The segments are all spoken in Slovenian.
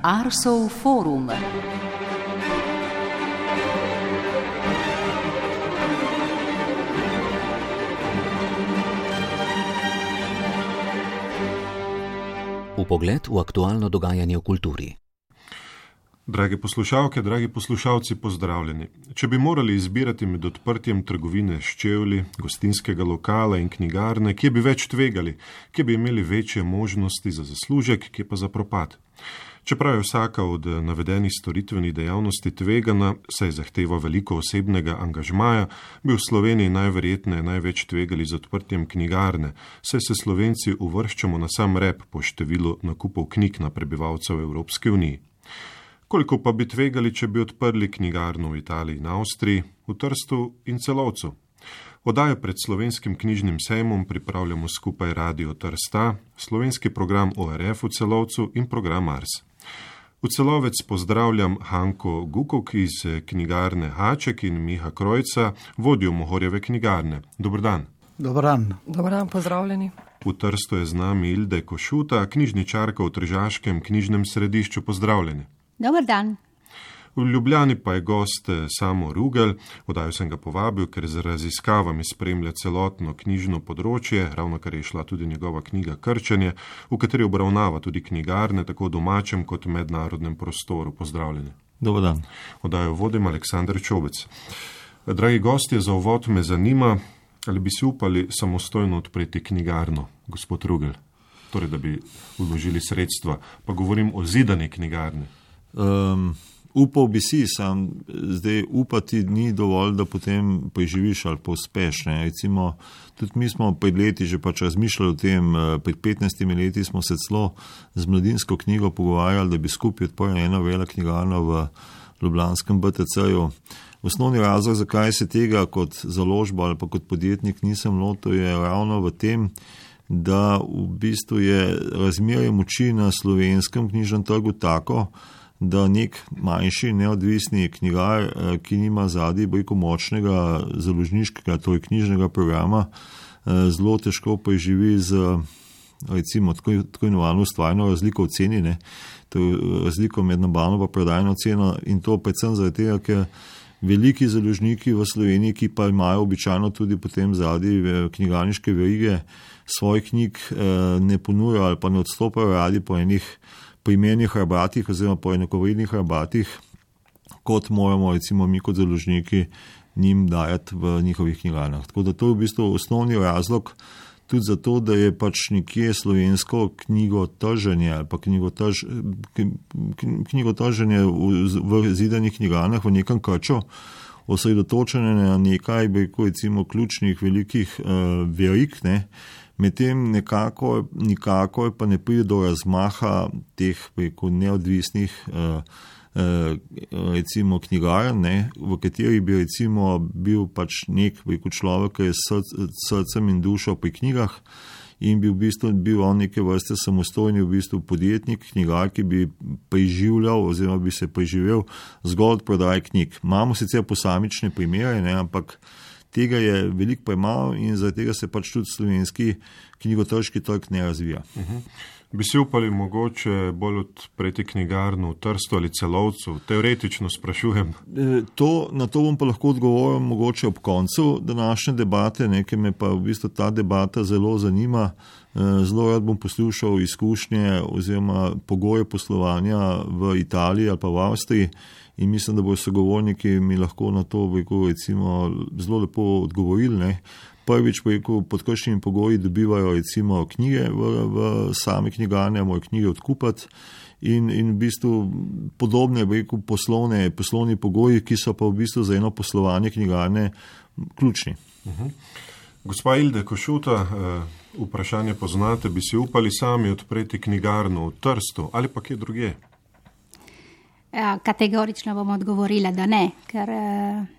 Arsov forum. Vpogled v aktualno dogajanje v kulturi. Drage poslušalke, dragi poslušalci, pozdravljeni. Če bi morali izbirati med odprtjem trgovine s čevlji, gostinskega lokala in knjigarne, kje bi več tvegali, kje bi imeli večje možnosti za zaslužek, kje pa za propad. Čeprav je vsaka od navedenih storitvenih dejavnosti tvegana, saj zahteva veliko osebnega angažmaja, bi v Sloveniji najverjetneje največ tvegali z odprtjem knjigarne, saj se Slovenci uvrščamo na sam rep po številu nakupov knjig na prebivalcev Evropske unije. Koliko pa bi tvegali, če bi odprli knjigarno v Italiji in Avstriji, v Trstu in Celovcu? Oddajo pred Slovenskim knjižnim sejmom pripravljamo skupaj Radio Trsta, slovenski program ORF v Celovcu in program Ars. V Celovec pozdravljam Hanko Gukok iz knjigarne Haček in Miha Krojca, vodjo Mohorjeve knjigarne. Dober dan. Dobar dan. Dobar dan, pozdravljeni. V Trstu je z nami Ilde Košuta, knjižničarka v Tržaškem knjižnem središču. Pozdravljeni. Dobar dan. V Ljubljani pa je gost Samo Rugel. Oddajo sem ga povabil, ker z raziskavami spremlja celotno knjižno področje, ravno kar je šla tudi njegova knjiga Krčenje, v kateri obravnava tudi knjigarne, tako v domačem kot v mednarodnem prostoru. Pozdravljeni. Dobar dan. Oddajo vodim Aleksander Čobec. Dragi gostje, za uvod me zanima, ali bi si upali samostojno odpreti knjigarno, gospod Rugel? Torej, da bi vložili sredstva, pa govorim o zidani knjigarni. Upal bi si, sam zdaj upati ni dovolj, da potem preživiš ali pa uspeš. Recimo, tudi mi smo pred leti že pač razmišljali o tem, pred 15 leti smo se celo z Mladinsko knjigo pogovarjali, da bi skupaj odprli eno velo knjigarno v ljubljanskem BTC-ju. Osnovni razlog, zakaj se tega kot založba ali pa kot podjetnik nisem lotil, je ravno v tem, da v bistvu je razmerje moči na slovenskem knjižnem trgu tako, da nek manjši neodvisni knjigar, ki nima zadaj močnega založniškega, torej knjižnega programa, zelo težko preživi z recimo tako imenovano ustvarjeno razliko v ceni, to je razliko med nabavno in prodajno ceno, in to predvsem zaradi tega, ker veliki založniki v Sloveniji, ki pa imajo običajno tudi potem zadaj knjigarniške verige, svojih knjig ne ponujajo ali pa ne odstopajo radi po enih primernih rabatih oziroma po enakovrednih rabatih, kot moramo recimo mi kot založniki njim dajati v njihovih knjigarnah. Tako da to je v bistvu osnovni razlog tudi zato, da je pač nekje slovensko knjigotrženje ali pa knjigotrženje v zidanih knjigarnah v nekem krču osredotočene na nekaj, recimo, ključnih velikih verig, medtem nikakor pa ne pride do razmaha teh neodvisnih recimo knjigarn, v kateri bi recimo bil pač nek človek, ki je srcem in dušo pri knjigah in bi v bistvu bil on neke vrste samostojni v bistvu podjetnik, knjigar, ki bi preživljal oziroma bi se preživel zgolj od prodaje knjig. Imamo sicer posamične primere, ampak tega je veliko premalo in zaradi tega se pač tudi slovenski knjigotrški trg ne razvija. Bi si upali mogoče bolj odpreti knjigarno v Trstu ali Celovcu? Teoretično sprašujem. Na to bom pa lahko odgovoril mogoče ob koncu današnje debate, ker me pa v bistvu ta debata zelo zanima. Zelo rad bom poslušal izkušnje oziroma pogoje poslovanja v Italiji ali pa v Avstriji in mislim, da bodo sogovorniki mi lahko na to recimo zelo lepo odgovorili. Prvič, pod kakšnimi pogoji dobivajo recimo knjige v same knjigarne, morajo knjige odkupati in v bistvu podobne poslovni pogoji, ki so pa v bistvu za eno poslovanje knjigarne ključni. Gospa Ilde Košuta, vprašanje poznate, bi si upali sami odpreti knjigarno v Trstu ali pa kje drugje? Kategorično bom odgovorila, da ne, ker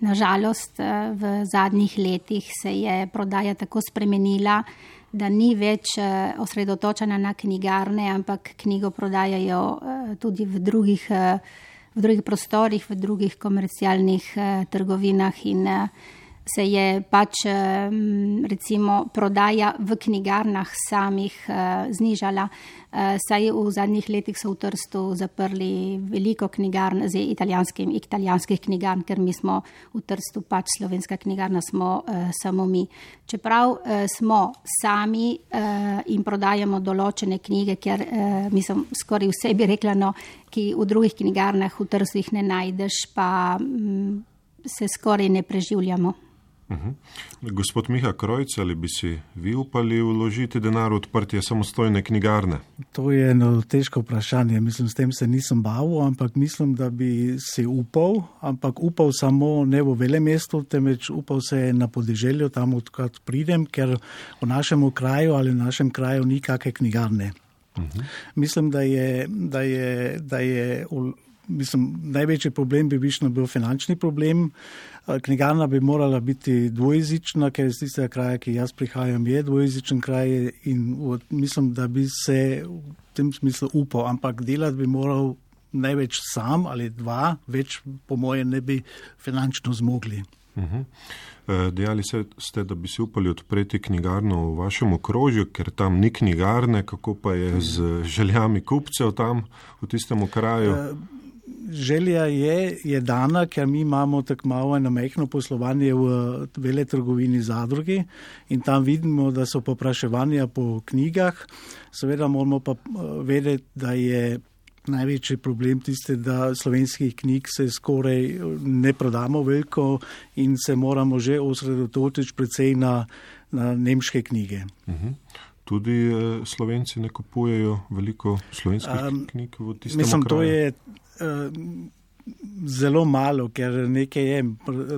nažalost v zadnjih letih se je prodaja tako spremenila, da ni več osredotočena na knjigarne, ampak knjigo prodajajo tudi v drugih prostorih, v drugih komercialnih trgovinah in se je pač recimo prodaja v knjigarnah samih znižala. Saj v zadnjih letih so v Trstu zaprli veliko knjigarn z italijanskih knjigarn, ker mi smo v Trstu pač slovenska knjigarna smo samo mi. Čeprav smo sami in prodajamo določene knjige, ker mislim skoraj vse bi rekla, no, ki v drugih knjigarnah v Trstu jih ne najdeš, pa se skoraj ne preživljamo. Gospod Miha Krojc, ali bi si vi upali vložiti denar v odprtje samostojne knjigarne? To je eno težko vprašanje. Mislim, s tem se nisem bavil, ampak mislim, da bi si upal, ampak upal samo ne v velemestu, temveč upal se na podeželju, tam odkrat pridem, ker v našem kraju ali v našem kraju ni kakšne knjigarne. Mislim, največji problem bi bil finančni problem. Knjigarna bi morala biti dvojezična, ker iz tistega kraja, ki jaz prihajam, je dvojezičen kraj in mislim, da bi se v tem smislu upal, ampak delati bi moral največ sam ali dva, več po moje ne bi finančno zmogli. Dejali ste, da bi si upali odpreti knjigarno v vašem okrožju, ker tam ni knjigarne, kako pa je z željami kupcev tam v tistem kraju? Želja je dana, ker mi imamo tako malo eno majhno poslovanje v veletrgovini Zadrugi in tam vidimo, da so popraševanja po knjigah. Seveda moramo pa vedeti, da je največji problem tiste, da slovenskih knjig se skoraj ne prodamo veliko in se moramo že osredotočiti predvsej na nemške knjige. Tudi Slovenci ne kupujejo veliko slovenskih knjig v tistem mislim, kraju? To je zelo malo, ker nekaj je,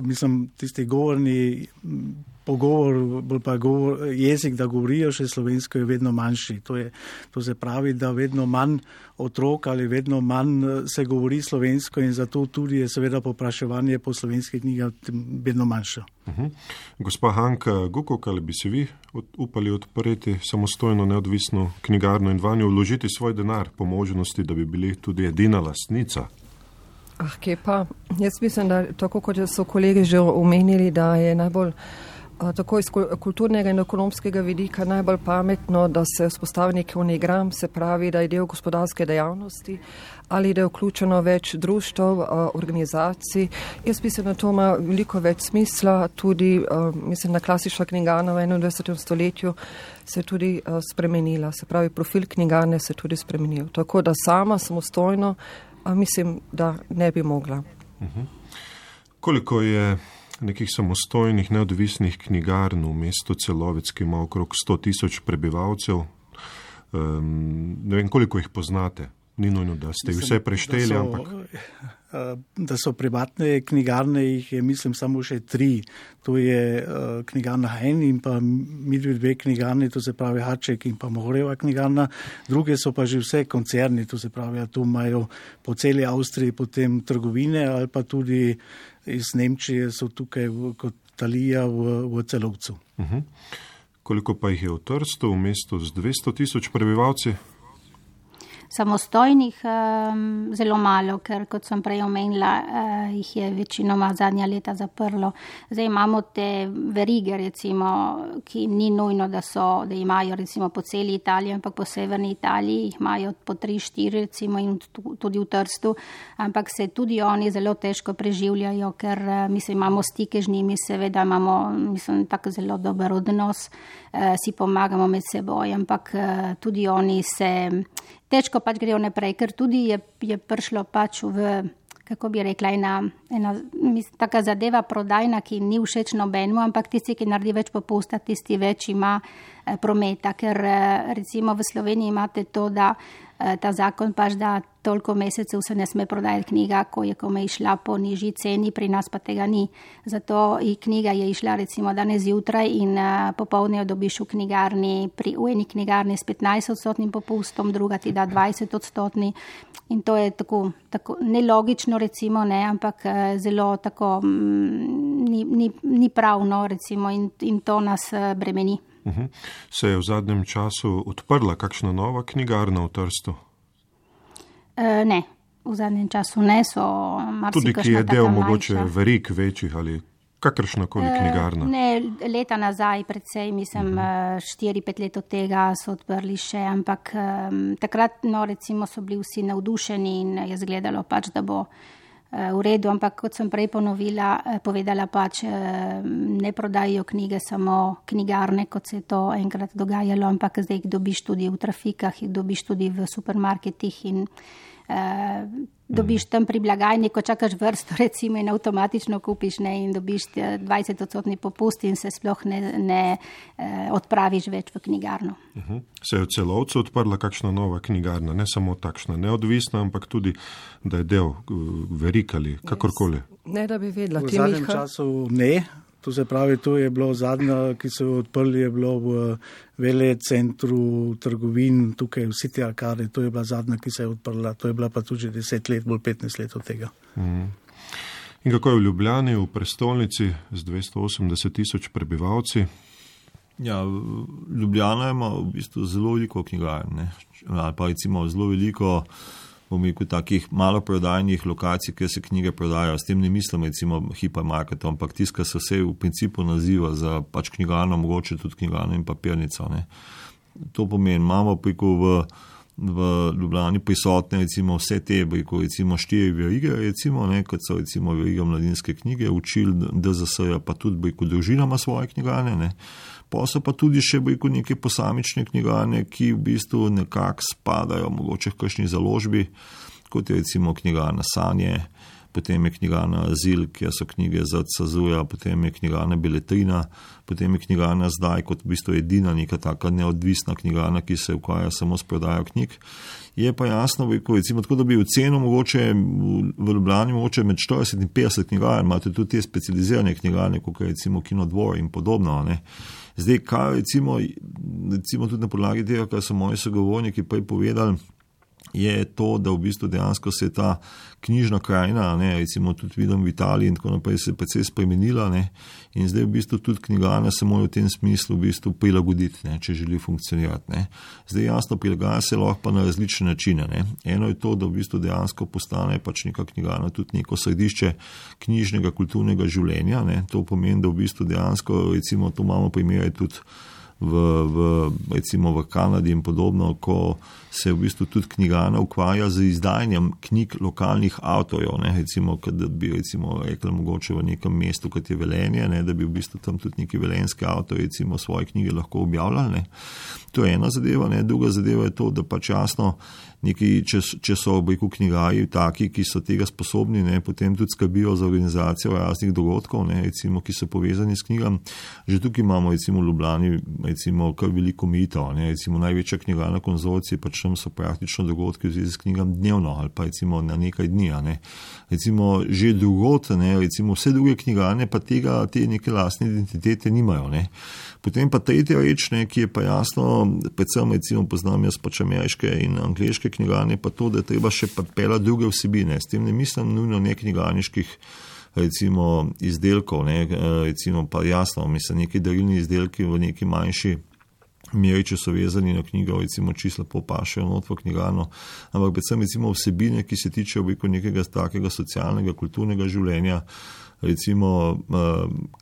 mislim, tisti govorni jezik, da govorijo še slovensko, je vedno manjši. To se pravi, da vedno manj otrok ali vedno manj se govori slovensko in zato tudi je seveda popraševanje po slovenskih knjigah vedno manjše. Gospa Hanka Gukok, ali bi si vi upali odpreti samostojno neodvisno knjigarno in vanjo vložiti svoj denar po možnosti, da bi bili tudi edina lastnica? Kje pa? Jaz mislim, da tako kot so kolegi že omenili, da je najbolj tako iz kulturnega in ekonomskega vidika najbolj pametno, da se vzpostavi nek unigram, se pravi, da je del gospodarske dejavnosti ali da je vključeno več društev, organizacij. Jaz mislim, da to ima veliko več smisla, tudi mislim, da klasična knjigarna v 21. stoletju se je tudi spremenila, se pravi, profil knjigarne se je tudi spremenil. Tako da sama samostojno mislim, da ne bi mogla. Koliko je nekih samostojnih, neodvisnih knjigarn v mestu Celovec, ki ima okrog 100,000 prebivalcev? Ne vem, koliko jih poznate. Ni nujno, da ste jih vse prešteli, ampak... Da so privatne knjigarne, jih je, mislim, samo še 3. To je knjigarna Hein in pa dve knjigarne, to se pravi Haček in pa Mohorjeva knjigarna. Druge so pa že vse koncerni, to se pravi, tu imajo po celi Avstriji potem trgovine ali pa tudi iz Nemčije so tukaj kot Talija v Celovcu. Koliko pa jih je v Trstu, v mestu z 200,000 prebivalci? Samostojnih zelo malo, ker kot sem prej omenila, jih je večinoma zadnja leta zaprlo. Zdaj imamo te verige, recimo, ki ni nujno, da imajo recimo po celi Italiji, ampak po severni Italiji jih imajo po 3-4 recimo in tudi v Trstu, ampak se tudi oni zelo težko preživljajo, ker mislim, imamo stike z njimi, seveda imamo, mislim, tako zelo dober odnos, si pomagamo med seboj, ampak tudi oni se težko pač grejo naprej, ker tudi je prišlo pač v, kako bi rekla, ena taka zadeva prodajna, ki ni všeč nobenemu, ampak tisti, ki naredi več popusta, tisti več ima prometa, ker recimo v Sloveniji imate to, da ta zakon pač, da toliko mesecev se ne sme prodajati knjiga, ko je kome išla po nižji ceni, pri nas pa tega ni. Zato knjiga je išla recimo danes zjutraj in popoldne jo dobiš v knjigarni, v eni knjigarni s 15% popustom, druga ti da 20%. In to je tako nelogično recimo, ne, ampak zelo tako ni pravno recimo in to nas bremeni. Se je v zadnjem času odprla kakšna nova knjigarna v Trstu? Ne, v zadnjem času ne, so marsikakšna taka manjša. Tudi ki je del mogoče verig večjih ali Kakršnakoli knjigarna? Ne, leta nazaj, predvsej, mislim, 4-5 let od tega so odprli še, ampak takrat, recimo, so bili vsi navdušeni in je izgledalo pač, da bo v redu, ampak kot sem prej povedala pač, ne prodajajo knjige samo knjigarne, kot se je to enkrat dogajalo, ampak zdaj jih dobiš tudi v trafikah, jih dobiš tudi v supermarketih in dobiš tam pri blagajni, ko čakaš vrsto, recimo, in avtomatično kupiš, ne, in dobiš 20% popust in se sploh ne odpraviš več v knjigarno. Se je v Celovcu odprla kakšna nova knjigarna, ne samo takšna neodvisna, ampak tudi, da je del verik ali kakorkoli? Ne, da bi vedela. V zadnjem času ne. To se pravi, to je bilo zadnja, ki so odprli, je bilo v velecentru trgovin, tukaj v City Arcade, to je bila zadnja, ki se je odprla, to je bila pa tudi 10 let, bolj 15 let od tega. In kako je v Ljubljani, v prestolnici z 280 000 prebivalci? Ja, Ljubljana ima v bistvu zelo veliko knjigarn, ali pa recimo zelo veliko, bom rekel, takih maloprodajnih lokacij, kjer se knjige prodajajo. S tem ne mislim, recimo, hipermarketov, ampak tiska se vse v principu naziva za pač knjigarno, mogoče tudi knjigarno in papirnico. Ne. To pomeni, imamo preko v Ljubljani prisotne recimo vse te, preko recimo 4 verige, recimo, ne, kot so recimo veriga Mladinske knjige, učil DZS-ja, pa tudi preko družinama svoje knjigarne, ne. Pa so pa tudi še preko neke posamične knjigarne, ki v bistvu nekako spadajo mogoče v kakšni založbi, kot je recimo knjigarna Sanje, potem je knjigarna Azil, kjer so knjige za CZU-ja, potem je knjigarna Beletrina, potem je knjigarna Zdaj, kot v bistvu edina neka taka neodvisna knjigarna, ki se ukvarja samo s prodajo knjig. Je pa jasno, recimo, tako da bi v ceno mogoče v Ljubljani mogoče med 40 in 50 knjigarn, imate tudi te specializirane knjigarne, kot je recimo Kinodvor in podobno, ne. Zdaj, kaj recimo tudi na podlagi tega, kar so moji sogovorniki prej povedali, je to, da v bistvu dejansko se je ta knjižna krajina, ne, recimo tudi vidim v Italiji in tako naprej, se je precej spremenila, ne, in zdaj v bistvu tudi knjigarna se mora v tem smislu v bistvu prilagoditi, ne, če želi funkcionirati. Ne. Zdaj jasno, prilagaja se lahko pa na različne načine. Ne. Eno je to, da v bistvu dejansko postane pač neka knjigarna tudi neko središče knjižnega kulturnega življenja. Ne. To pomeni, da v bistvu dejansko, recimo, to imamo primere tudi recimo v Kanadi in podobno, ko se v bistvu tudi knjigarna ukvarja z izdajanjem knjig lokalnih avtorjev, ne, recimo, da bi recimo rekli mogoče v nekem mestu, kot je Velenje, ne, da bi v bistvu tam tudi neki velenjski avtorji recimo svoje knjige lahko objavljali, ne. To je ena zadeva, ne, druga zadeva je to, da pač jasno neki, če so v reku knjigarji taki, ki so tega sposobni, ne, potem tudi skrbijo za organizacijo raznih dogodkov, ne, recimo, ki so povezani s knjigami. Že tukaj imamo recimo v Ljubljani recimo kar veliko omejitev, ne, recimo največja knjigarna konzorcija, pač tam so praktično dogodki v zvezi s knjigami dnevno ali pa recimo na nekaj dni, ne. Recimo že drugod, ne, recimo vse druge knjigarne pa te neke lastne identitete nimajo, ne. Potem pa tretja reč, ne, ki je pa jasno, predvsem recimo poznam jaz pač ameriške in angleške knjigarne, pa to, da je treba še peljati druge vsebine. S tem ne mislim nujno ne knjigarniških recimo izdelkov, ne, recimo pa jasno, mislim neki darilni izdelki v neki manjši meri, če so vezani na knjigo, recimo čisto lepo pašejo not v knjigarno, ampak predvsem recimo vsebine, ki se tičejo nekega takega socialnega, kulturnega življenja, recimo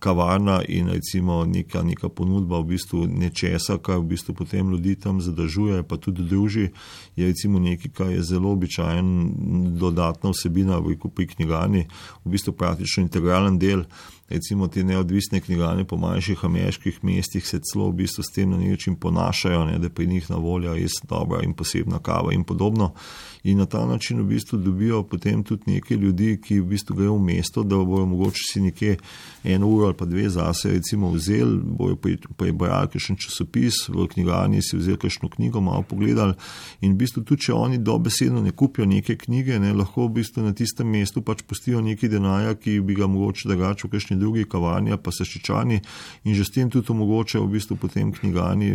kavarna in recimo neka ponudba v bistvu nečesa, kar v bistvu potem ljudi tam zadržuje, pa tudi druži, je recimo nekaj, kar je zelo običajen dodatna vsebina pri knjigarni, v bistvu praktično integralen del. Recimo te neodvisne knjigarne po manjših ameriških mestih se celo v bistvu s tem na način ponašajo, ne, da pri njih na voljo res dobra in posebna kava in podobno. In na ta način v bistvu dobijo potem tudi nekaj ljudi, ki v bistvu grejo v mesto, da bojo mogoče si nekje 1 uro ali pa 2 zase recimo vzeli, bojo prebrali kakšen časopis, v knjigarni si vzeli kakšno knjigo, malo pogledali in v bistvu tudi, če oni dobesedno ne kupijo neke knjige, ne, lahko v bistvu na tistem mestu pač pustijo nekaj denarja, ki bi ga mogoče drugače v kakšni drugi kavarni pa Saščičani in že s tem tudi omogočajo v bistvu potem knjigarni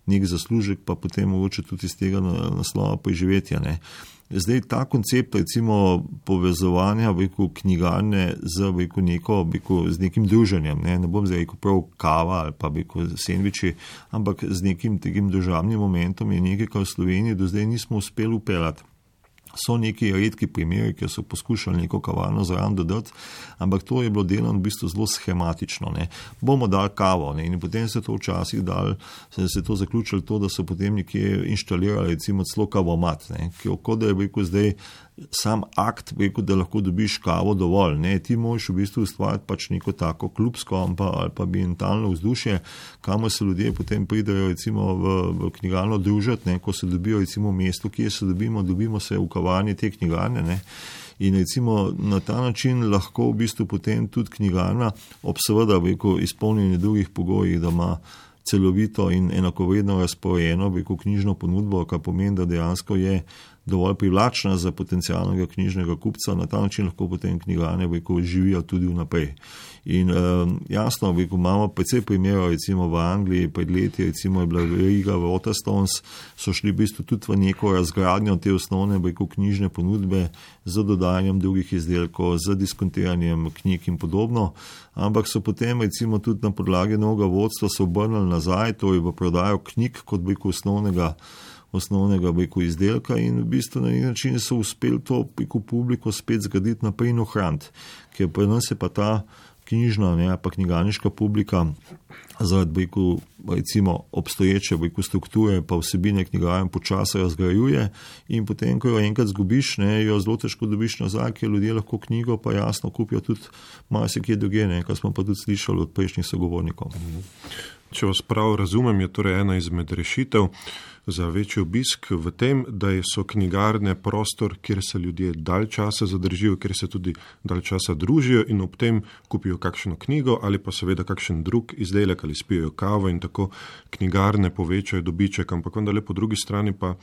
nek zaslužek, pa potem mogoče tudi iz tega naslova preživetja. Ne. Zdaj ta koncept recimo povezovanja knjigarne z nekim druženjem, ne bom zdaj rekel prav kava ali pa sendviči, ampak z nekim takim družabnim momentom je nekaj, kar v Sloveniji do zdaj nismo uspeli upeljati. So neki redki primeri, ki so poskušali neko kavarno zraven dodati, ampak to je bilo delano v bistvu zelo schematično. Ne. Bomo dali kavo, ne, in potem se to včasih se to zaključilo to, da so potem nekje inštalirali recimo celo kavomat, ne, kot da je rekel zdaj sam akt, rekel, da lahko dobiš kavo dovolj. Ne. Ti moraš v bistvu ustvariti pač neko tako klubsko ali pa ambientalno vzdušje, kamor se ljudje potem pridejo recimo v knjigarno družiti, ne, ko se dobijo recimo v mestu, kje se dobimo se v kavarni te knjigarne, ne. In recimo na ta način lahko v bistvu potem tudi knjigarna ob seveda izpolnjenju drugih pogojih, da ima celovito in enakovredno razporejeno knjižno ponudbo, kar pomeni, da dejansko je dovolj privlačna za potencialnega knjižnega kupca, na ta način lahko potem knjigarne živijo tudi vnaprej. In jasno, imamo precej primerov, recimo v Angliji pred leti, recimo je bila veriga Waterstones, so šli v bistvu tudi v neko razgradnjo te osnovne knjižne ponudbe z dodajanjem drugih izdelkov, z diskontiranjem knjig in podobno, ampak so potem recimo tudi na podlagi novega vodstva se obrnili nazaj, torej v prodajo knjig kot osnovnega izdelka in v bistvu na nek način so uspeli to publiko spet zgraditi naprej in ohraniti, ker pri nas je pa ta knjižna, ne, pa knjigarniška publika zaradi recimo obstoječe strukture pa vsebine knjigarn počasi razgrajuje in potem, ko jo enkrat zgubiš, ne, jo zelo težko dobiš nazaj, ker ljudje lahko knjigo pa jasno kupijo tudi marsikje drugje, ne, kar smo pa tudi slišali od prejšnjih sogovornikov. Če vas prav razumem, je torej ena izmed rešitev za večji obisk v tem, da so knjigarne prostor, kjer se ljudje dalj časa zadržijo, kjer se tudi dalj časa družijo in ob tem kupijo kakšno knjigo ali pa seveda kakšen drug izdelek ali spijo kavo in tako knjigarne povečajo dobiček, ampak vendarle po drugi strani pa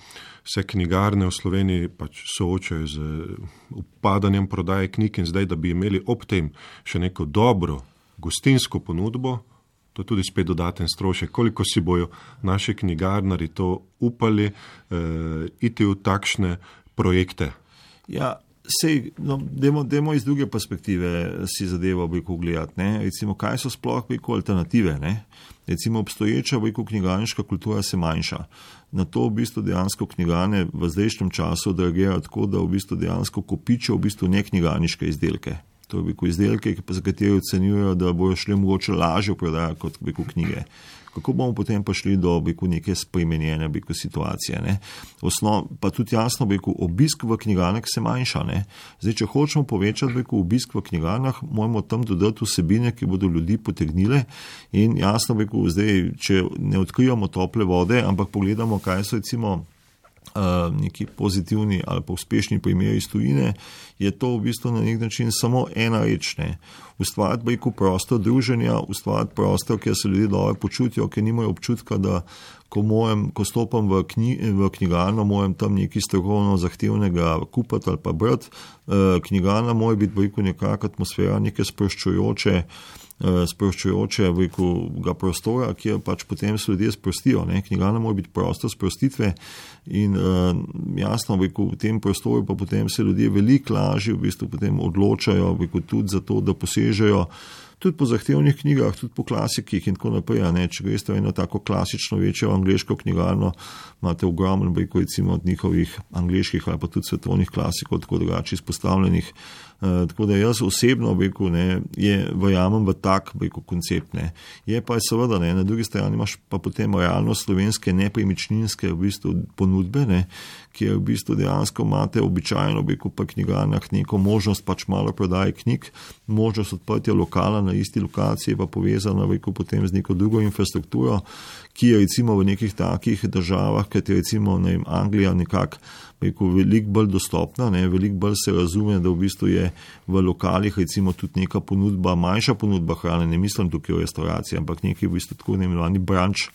se knjigarne v Sloveniji pač soočajo z upadanjem prodaje knjig in zdaj, da bi imeli ob tem še neko dobro gostinsko ponudbo, to je tudi spet dodaten strošek. Koliko si bojo naši knjigarnari to upali iti v takšne projekte? Ja, dajmo iz druge perspektive si zadevo gledati. Ne? Recimo, kaj so sploh alternative? Ne? Recimo, obstoječa knjigarniška kultura se manjša. Na to v bistvu dejansko knjigarne v zdajšnjem času odreagirajo tako, da v bistvu dejansko kopičijo v bistvu neknjigarniške izdelke. To je izdelke, za katere ocenjujejo, da bojo šli mogoče lažje prodajati kot knjige. Kako bomo potem pa šli do neke spremenjene situacije? Ne? Pa tudi jasno, obisk v knjigarnah se manjša. Ne? Zdaj, če hočemo povečati obisk v knjigarnah, moramo tam dodati vsebine, ki bodo ljudi potegnile in jasno, zdaj, če ne odkrijamo tople vode, ampak pogledamo, kaj so recimo neki pozitivni ali pa uspešni primeri iz tujine, je to v bistvu na nek način samo ena reč. Ustvariti prostor druženja, ustvariti prostor, kjer se ljudje dobro počutijo, ker nimajo občutka, da ko stopam v knjigarno, moram tam nekaj strokovno zahtevnega kupiti ali pa brati. Knjigarna mora biti nekakšna atmosfera, neke sproščujočega prostora, kjer pač potem se ljudje sprostijo. Ne? Knjigarna mora biti prostor sprostitve in jasno, v tem prostoru pa potem se ljudje veliko lažje potem odločajo tudi za to, da posežejo tudi po zahtevnih knjigah, tudi po klasikih in tako naprej. Ne? Če greste v eno tako klasično večjo angleško knjigarno, imate ogromno recimo od njihovih angleških ali pa tudi svetovnih klasikov, tako drugače izpostavljenih. Tako da jaz osebno verjamem v tak koncept. Ne. Je pa seveda, ne, na drugi strani imaš pa potem realno slovenske nepremičninske ponudbe, ne, kjer v bistvu dejansko imate običajno pa knjigarnah neko možnost pač malo prodaje knjig, možnost odprtja lokala na isti lokaciji pa povezana potem z neko drugo infrastrukturo, ki je recimo v nekih takih državah, kot je recimo Anglija nekako veliko bolj dostopna, ne, veliko bolj se razume, da v bistvu je v lokalih recimo tudi neka ponudba, manjša ponudba hrane, ne mislim tukaj o restauraciji, ampak neki v bistvu tako imenovani brunch,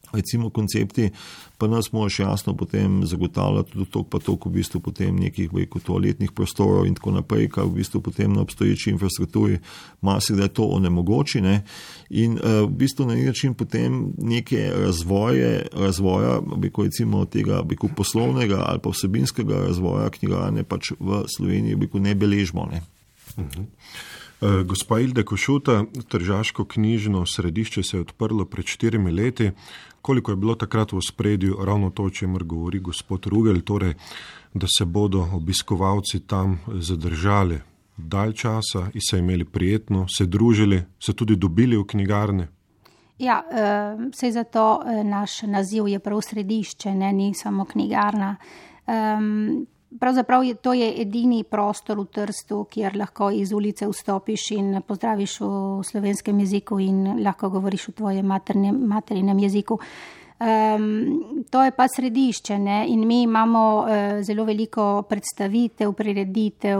recimo koncepti, pa nas moraš jasno potem zagotavljati tudi toliko v bistvu potem nekih toaletnih prostorov in tako naprej, kar v bistvu potem na obstoječi infrastrukturi marsikdaj to onemogoči, ne, in v bistvu na nek način potem neke razvoja recimo tega poslovnega ali pa vsebinskega razvoja knjigarne pač v Sloveniji ne beležimo, ne. Gospa Hilde Košuta, Tržaško knjižno središče se je odprlo pred 4 leti. Koliko je bilo takrat v ospredju ravno to, o čemer govori gospod Rugel, torej, da se bodo obiskovalci tam zadržali dalj časa in se imeli prijetno, se družili, se tudi dobili v knjigarne? Ja, saj zato naš naziv je prav središče, ne, ni samo knjigarna. Pravzaprav to je edini prostor v Trstu, kjer lahko iz ulice vstopiš in pozdraviš v slovenskem jeziku in lahko govoriš v tvojem materinem jeziku. To je pa središče, ne? In mi imamo zelo veliko predstavitev, prireditev,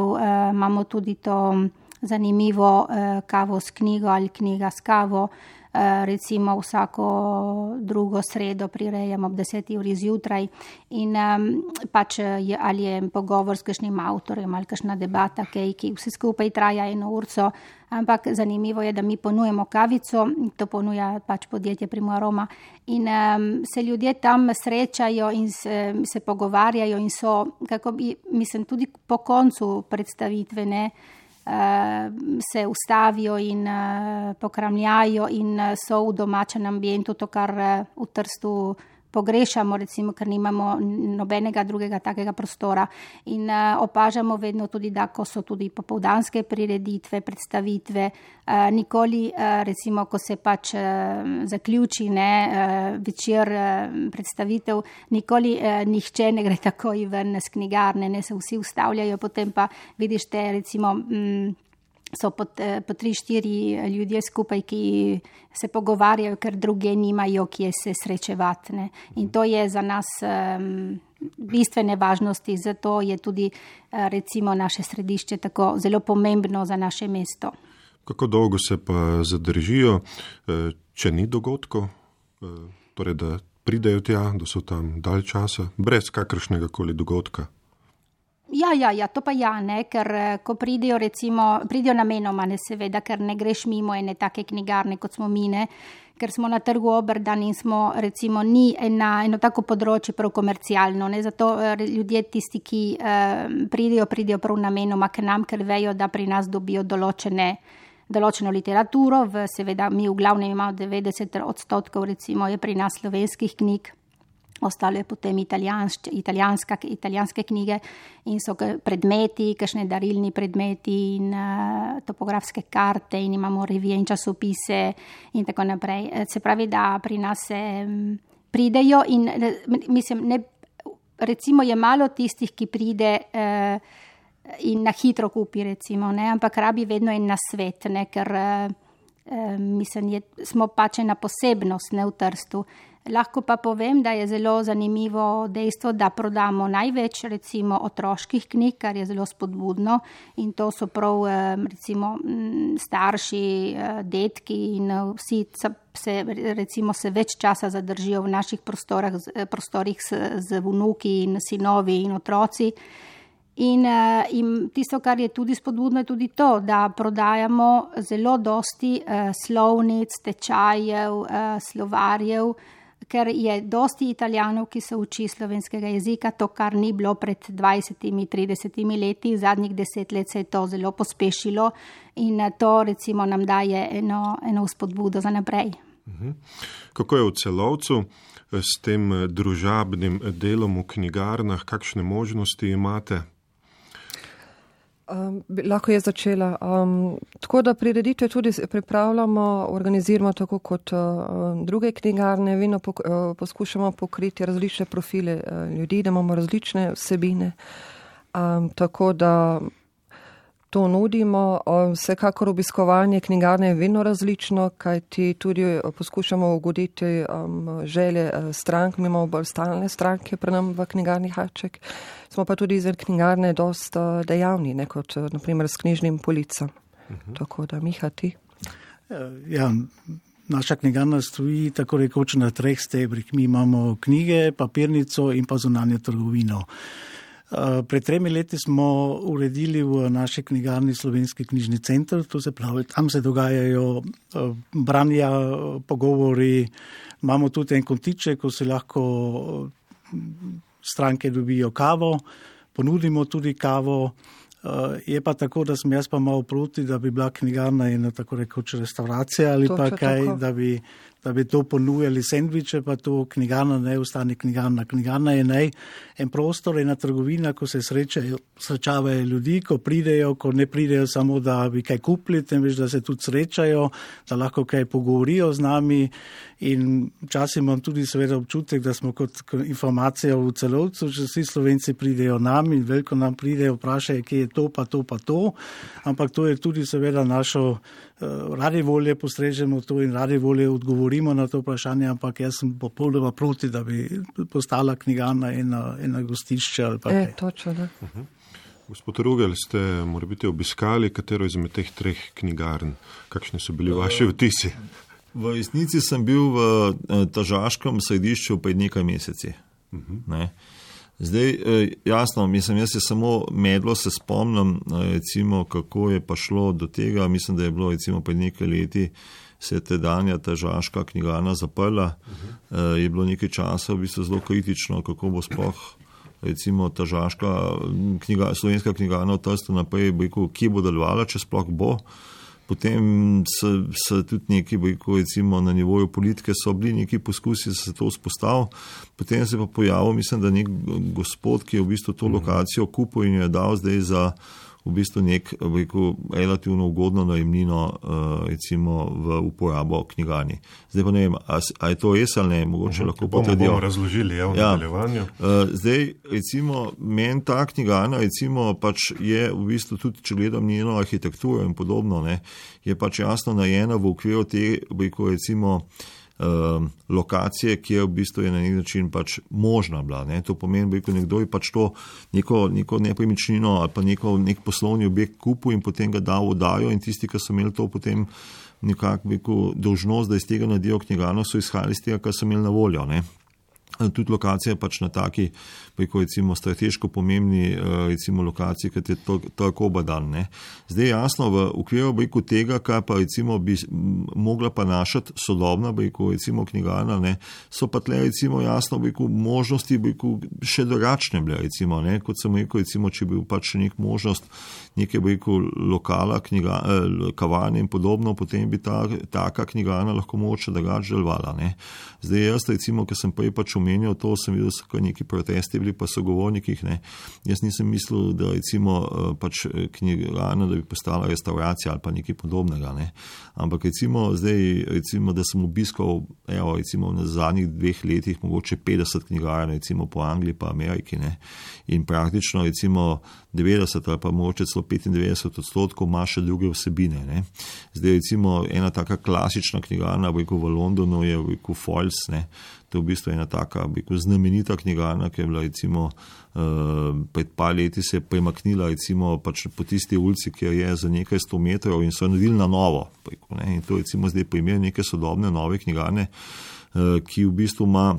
imamo tudi to zanimivo kavo s knjigo ali knjiga s kavo. Recimo vsako drugo sredo prirejamo ob 10. uri zjutraj in pač ali je pogovor s kakšnim avtorjem ali kakšna debata, ki vse skupaj traja 1 urco, ampak zanimivo je, da mi ponujemo kavico, to ponuja pač podjetje Primoroma in se ljudje tam srečajo in se pogovarjajo in so, kako bi, mislim, tudi po koncu predstavitve, ne, se ustavijo in pokramljajo in so v domačem ambientu, to, kar v Trstu pogrešamo, recimo, ker nimamo nobenega drugega takega prostora. In opažamo vedno tudi, da ko so tudi popoldanske prireditve, predstavitve, nikoli, recimo, ko se pač zaključi, ne, večer predstavitev, nikoli nihče ne gre takoj ven z knjigarne, ne, se vsi ustavljajo, potem pa vidiš te, recimo, so po 3-4 ljudje skupaj, ki se pogovarjajo, ker druge nimajo, kje se srečevati. Ne. In to je za nas bistvene važnosti, zato je tudi recimo naše središče tako zelo pomembno za naše mesto. Kako dolgo se pa zadržijo, če ni dogodkov, torej da pridejo tja, da so tam dalj časa, brez kakršnega koli dogodka? Ja, to pa ja, ne, ker ko pridejo, recimo, pridejo namenoma, ne, seveda, ker ne greš mimo ene take knjigarne, kot smo mi, ne, ker smo na trgu Oberdan in smo, recimo, ni eno tako področje prav komercialno, ne, zato ljudje tisti, ki pridejo prav namenoma k nam, ker vejo, da pri nas dobijo določeno literaturo, seveda mi v glavnem imamo 90%, recimo, je pri nas slovenskih knjig, ostalo je potem italijanske knjige in so predmeti, kakšne darilni predmeti in topografske karte in imamo revije in časopise in tako naprej. Se pravi, da pri nas se pridejo in mislim, ne, recimo je malo tistih, ki pride in na hitro kupi, recimo, ne, ampak rabi vedno en nasvet, ne, ker mislim, smo pač ena posebnost, ne, v Trstu. Lahko pa povem, da je zelo zanimivo dejstvo, da prodamo največ, recimo, otroških knjig, kar je zelo spodbudno in to so prav, recimo, starši, detki in vsi se več časa zadržijo v naših prostorih z vnuki in sinovi in otroci. In tisto, kar je tudi spodbudno, je tudi to, da prodajamo zelo dosti slovnic, tečajev, slovarjev, ker je dosti Italijanov, ki se uči slovenskega jezika, to, kar ni bilo pred 20-30 leti, zadnjih 10 let se je to zelo pospešilo in to, recimo, nam daje eno spodbudo za naprej. Kako je v Celovcu s tem družabnim delom v knjigarnah, kakšne možnosti imate? Lahko je začela. Tako da prireditve tudi pripravljamo, organiziramo tako kot druge knjigarne, vedno poskušamo pokriti različne profile ljudi, da imamo različne vsebine. Tako da to nudimo. Vsekakor obiskovanje knjigarne je vedno različno, kajti tudi poskušamo ugoditi želje strank, mi imamo bolj stalne stranke pri nam v knjigarni Haček. Smo pa tudi izven knjigarne dosta dejavni, ne, kot naprimer s knjižnim policam. Tako da, Miha, ti? Ja, naša knjigarna stoji tako rekoč na 3 stebrih. Mi imamo knjige, papirnico in pa zunanjo trgovino. Pred 3 leti smo uredili v naši knjigarni Slovenski knjižni center, to se pravi, tam se dogajajo branja, pogovori, imamo tudi en kontiček, ko se lahko stranke dobijo kavo, ponudimo tudi kavo. Je pa tako, da sem jaz pa malo proti, da bi bila knjigarna ena tako rekoč restauracija ali pa kaj, da bi to ponujali sendviče, pa to knjigarna ne ostane knjigarna. Knjigarna je en prostor, ena trgovina, ko se srečavajo ljudi, ko pridejo, ko ne pridejo samo, da bi kaj kupili, temveč da se tudi srečajo, da lahko kaj pogovorijo z nami. In včasih imam tudi seveda občutek, da smo kot informacija v Celovcu, če vsi Slovenci pridejo nam in veliko nam pridejo, vprašajo, kje je to, pa to, pa to. Ampak to je tudi seveda našo radi volje postrežemo to in radi volje odgovorimo na to vprašanje, ampak jaz sem popolnoma proti, da bi postala knjigarna ena gostišče ali pa kaj. Točno, da. Gospod Rugel, ste morebiti obiskali katero izmed teh 3 knjigarn? Kakšni so bili vaši vtisi? V resnici sem bil v Tržaškem središču pred nekaj meseci. Ne? Zdaj, jasno, jaz se samo medlo se spomnim, recimo, kako je pa šlo do tega. Mislim, da je bilo recimo pred nekaj leti se je tedanja Tržaška knjigarna zaprla. Je bilo nekaj časa v bistvu zelo kritično, kako bo sploh recimo Tržaška slovenska knjigarna v Trstu naprej, kje bo delovala, če sploh bo. Potem so tudi neki, recimo na nivoju politike so bili neki poskusi, da se to vzpostavil. Potem se pa pojavil, mislim, da nek gospod, ki je v bistvu to lokacijo kupil in jo je dal zdaj za v bistvu nek relativno ugodno najemnino recimo v uporabo knjigarni. Zdaj pa ne vem, a je to res ali ne, mogoče lahko potrdijo. Bomo razložili v nadaljevanju. Zdaj, recimo, meni ta knjigarna recimo pač je v bistvu tudi, če gledam njeno arhitekturo in podobno, ne, je pač jasno najena v okviru te, recimo, lokacije, ki je v bistvu je na nek način pač možna bila. Ne. To pomeni, da nekdo je pač to neko nepremičnino ali pa nek poslovni objekt kupil in potem ga dal v oddajo in tisti, ki so imeli to potem nekako dolžnost, da iz tega naredijo knjigarno, so izhajali iz tega, kar so imeli na voljo. Ne. Tudi lokacija je pač na taki, recimo, strateško pomembni recimo, lokaciji, kot je tako Obadan. Ne. Zdaj jasno, v okviru tega, kar pa recimo bi mogla pa našati sodobna recimo, knjigarna, ne, so pa tle recimo jasno možnosti še drugačne bile, recimo, ne, kot sem rekel, recimo, če bi pač nek možnost neke lokala, kavarne in podobno, potem bi taka knjigarna lahko mogoče drugače delovala. Zdaj jaz recimo, ker sem prej pač omenjal to, sem videl, so neki protesti bili pa sogovornikih, ne. Jaz nisem mislil, da recimo pač knjigarna, da bi postala restauracija ali pa nekaj podobnega, ne. Ampak recimo zdaj, recimo, da sem obiskal, recimo na zadnjih 2 letih mogoče 50 knjigarn, recimo po Angliji pa Ameriki, ne. In praktično recimo 90 ali pa mogoče celo 95% ima še druge vsebine, ne. Zdaj recimo ena taka klasična knjigarna v Londonu je Foyles, ne. To je v bistvu ena taka znamenita knjigarna, ki je bila recimo pred par leti se je premaknila recimo pač po tisti ulici, kjer je za nekaj 100 metrov in so naredili na novo. Ne. In to recimo zdaj primer neke sodobne nove knjigarne, ki v bistvu ima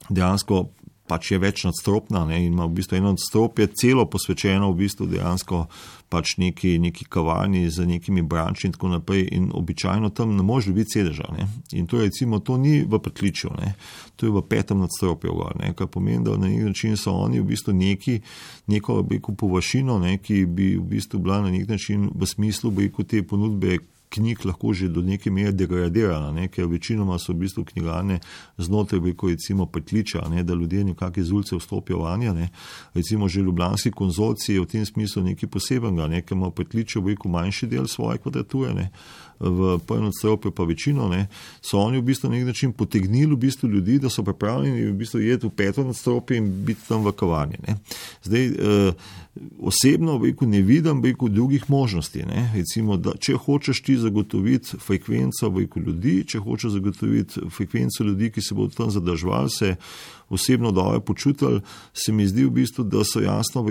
dejansko pač je več nadstropna, ne, in ima v bistvu eno nadstropje celo posvečeno v bistvu dejansko pač neki kavarni z nekimi branči in tako naprej in običajno tam ne može biti sedeža, ne. In to recimo, to ni v pritličju, ne, to je v 5. nadstropju gor, ne, kar pomeni, da na nek način so oni v bistvu neko površino, ne, ki bi v bistvu bila na nek način v smislu te ponudbe knjig lahko že do neke mere degradirana, ne, ker večinoma so v bistvu knjigarne znotraj recimo pritličja, ne, da ljudje nekako iz ulice vstopijo vanje, ne. Recimo že ljubljanski konzorcij je v tem smislu nekaj posebenega, ne, ker ima pritličje manjši del svoje kvadrature, ne, v 1. nadstropju pa večino, ne, so oni v bistvu na nek način potegnili v bistvu ljudi, da so pripravljeni v bistvu jeti v 5. nadstropju in biti tam v kavarni, ne. Zdaj, osebno ne vidim drugih možnosti, ne. Recimo, da če hočeš ti zagotoviti frekvenco ljudi, če hočeš zagotoviti frekvenco ljudi, ki se bodo tam zadrževali, se osebno dobro počutili, se mi zdi v bistvu, da so jasno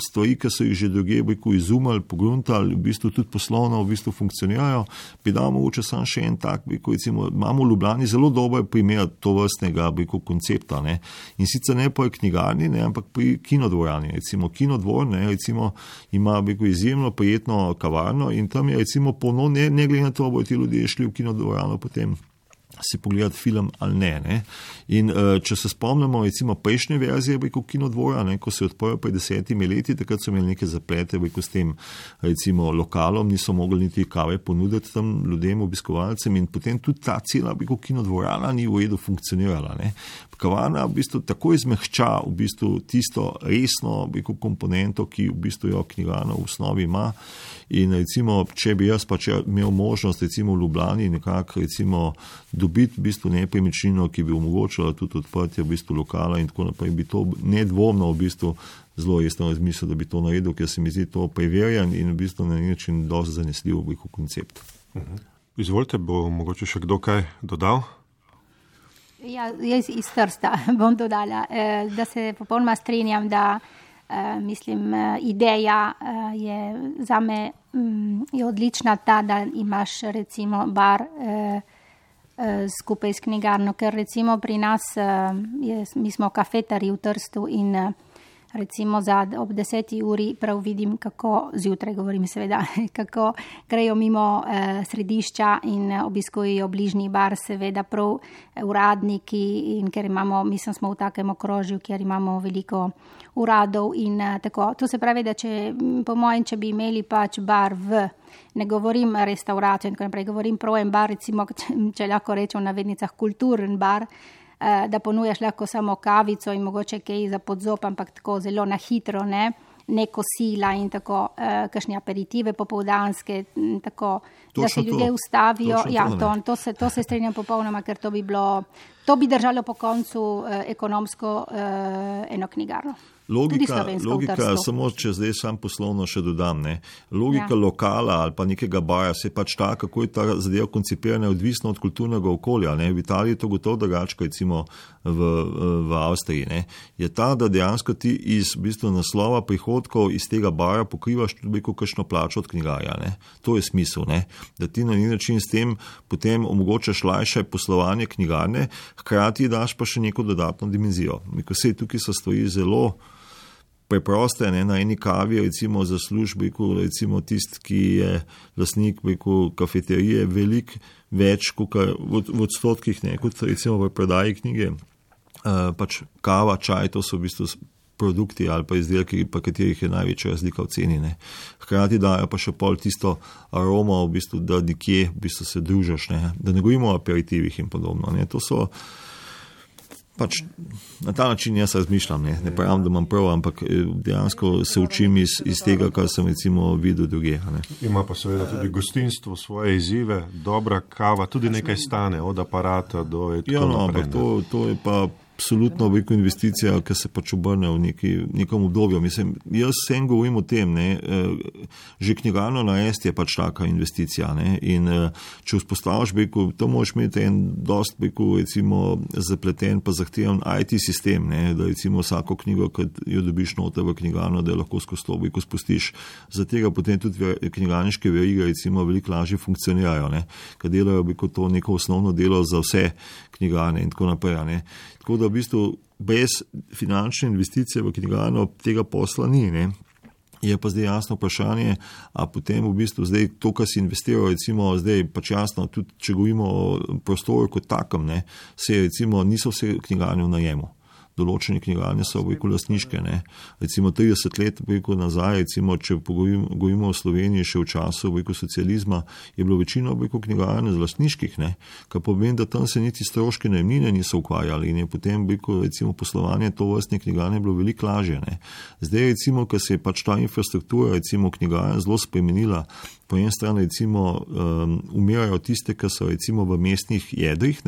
stvari, ki so jih že druge izumali, pogruntali, v bistvu tudi poslovno v bistvu funkcionirajo. Bi dal mogoče sam še en tak, recimo, imamo v Ljubljani zelo dober primer tovrstnega koncepta, ne. In sicer ne pri knjigarni, ne, ampak pri kinodvorani. Recimo Kinodvor, ne, recimo, ima izjemno prijetno kavarno in tam je recimo ne glede na to, bojo ti ljudje šli v kinodvorano potem si pogledati film ali ne. In če se spomnimo recimo prejšnje verzije Kinodvora, ko se je odprl pred 10 leti, takrat so imeli neke zaplete s tem recimo lokalom, niso mogli niti kave ponuditi tam ljudem, obiskovalcem, in potem tudi ta cela Kinodvorana ni v redu funkcionirala. Kavana v bistvu tako izmehča v bistvu tisto resno komponento, ki v bistvu jo knjigarna v osnovi ima. In recimo, če bi jaz pač imel možnost recimo v Ljubljani nekako recimo dobiti v bistvu nepremičnino, ki bi omogočala tudi odprtje v bistvu lokala in tako naprej, bi to nedvomno v bistvu zelo resno razmislil, da bi to naredil, ker se mi zdi to preverjan in v bistvu na način dosti zanesljiv koncept. Izvolite, bo mogoče še kdo kaj dodal? Ja, jaz iz Trsta bom dodala, da se popolnoma strinjam, da mislim, ideja je zame je odlična ta, da imaš recimo bar skupaj s knjigarno, ker recimo pri nas, mi smo kafetari v Trstu in recimo ob 10. uri prav vidim, kako, zjutraj govorim seveda, kako grejo mimo središča in obiskujejo bližnji bar, seveda prav uradniki, in ker imamo, mislim, smo v takem okrožju, kjer imamo veliko uradov in tako. To se pravi, da po mojem, če bi imeli pač bar ne govorim restauracijo in tako naprej, govorim prav en bar, recimo, če lahko rečem v navednicah kulturen bar, da ponujaš lahko samo kavico in mogoče kaj za podzop, ampak tako zelo na hitro, ne kosila in tako, kakšne aperitive popoldanske, tako, da se ljudje ustavijo. Ja, to se strinjam popolnoma, ker to bi držalo po koncu ekonomsko eno knjigarno. Logika, samo če zdaj sam poslovno še dodam, logika lokala ali pa nekega bara se pač ta, kako je ta zadeva koncipirana, odvisno od kulturnega okolja. V Italiji je to gotovo drugače, recimo v Avstriji. Je ta, da dejansko ti iz v bistvu naslova prihodkov iz tega bara pokrivaš tudi kakšno plačo od knjigarja. To je smisel, da ti na neki način s tem potem omogočaš lajše poslovanje knjigarne, hkrati daš pa še neko dodatno dimenzijo. Tukaj so stvari zelo preproste, na eni kavi, recimo za službo, recimo tisti, ki je lastnik kafeterije, veliko več v odstotkih, kot recimo v prodaji knjige. Pač kava, čaj, to so v bistvu produkti ali pa izdelki, pa katerih je največja razlika v ceni. Hkrati dajo pa še pol tisto aroma, v bistvu, da nekje v bistvu se družiš, da ne govorimo o aperitivih in podobno. To so pač na ta način jaz razmišljam, ne pravim, da imam prav, ampak dejansko se učim iz tega, kar sem recimo videl druge. Ima pa seveda tudi gostinstvo svoje izzive, dobra kava, tudi nekaj stane, od aparata do tako naprej. Ampak to je pa absolutno veliko investicija, ki se pač obrne v nekem obdobju. Mislim, jaz vsem govorim o tem, že knjigarno narediti je pač taka investicija. In če vzpostaviš, to moraš imeti en dost, recimo, zapleten pa zahteven IT sistem, da recimo vsako knjigo, ki jo dobiš noter v knjigarno, da jo lahko skozi to spustiš. Za tega potem tudi knjigarniške verige recimo veliko lažje funkcionirajo, ker delajo to neko osnovno delo za vse knjigarne in tako naprej. Tako da v bistvu brez finančne investicije v knjigarno tega posla ni. Je pa zdaj jasno vprašanje, a potem v bistvu zdaj to, kar si investiral, recimo zdaj pač jasno, tudi če govorimo o prostoru kot takem, recimo niso vse knjigarne v najemu. Določene knjigarne so lastniške. Recimo 30 let nazaj, recimo, če govorimo o Sloveniji še v času socializma, je bilo večino knjigarne lastniških, kar pomeni, da tam se niti stroški najemnine niso ukvarjali in je potem recimo poslovanje tovrstne knjigarne bilo veliko lažje. Zdaj recimo, ker se je pač ta infrastruktura recimo knjigarne zelo spremenila, po eni strani recimo umirajo tiste, ki so recimo v mestnih jedrih,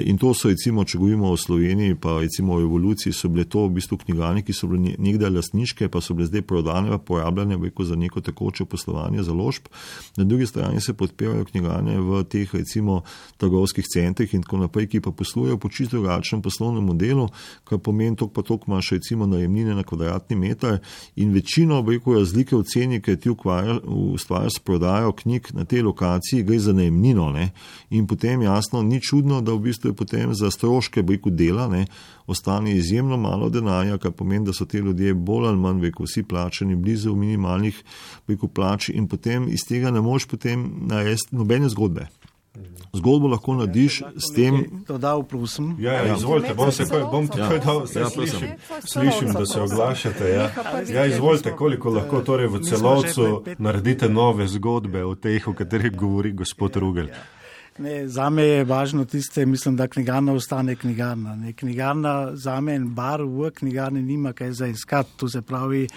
in to so recimo, če govorimo o Sloveniji, pa recimo o evoluciji, so bile to v bistvu knjigarne, ki so bile nekdaj lastniške, pa so bile zdaj prodane, porabljene za neko tekoče poslovanje založb. Na drugi strani se podpirajo knjigarne v teh recimo trgovskih centrih in tako naprej, ki pa poslujejo po čisto drugačnem poslovnem modelu, kar pomeni toliko pa toliko imaš recimo najemnine na kvadratni meter in večino razlike v ceni, ki ti ustvarjajo s prodajo knjig na tej lokaciji, gre za najemnino. In potem jasno, ni čudno, da v bistvu je potem za stroške dela ostane izjemno malo denarja, kar pomeni, da so te ljudje bolj ali manj vsi plačani blizu minimalnih plač in potem iz tega ne moreš potem narediti nobene zgodbe. Zgodbo lahko narediš s tem. Dodal, prosim. Ja, izvolite, bom takoj dal, slišim, da se oglašate. Ja, izvolite, koliko lahko torej v celovcu naredite nove zgodbe o teh, o katerih govori gospod Rugel. Zame je važno tiste, mislim, da knjigarna ostane knjigarna. Knjigarna zame in bar v knjigarni nima kaj za iskati. To se pravi,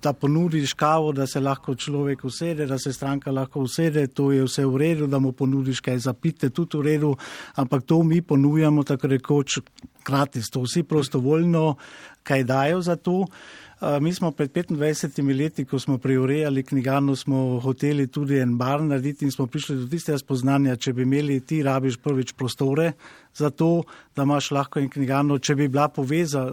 da ponudiš kavo, da se lahko človek usede, da se stranka lahko usede, to je vse v redu, da mu ponudiš kaj za pite, tudi v redu, ampak to mi ponujamo tako rekoč gratis, to vsi prostovoljno kaj dajo za to. Mi smo pred 25 leti, ko smo preurejali knjigarno, smo hoteli tudi en bar narediti in smo prišli do tistega spoznanja, če bi imeli ti rabiš prvič prostore za to, da imaš lahko in knjigarno, če bi bila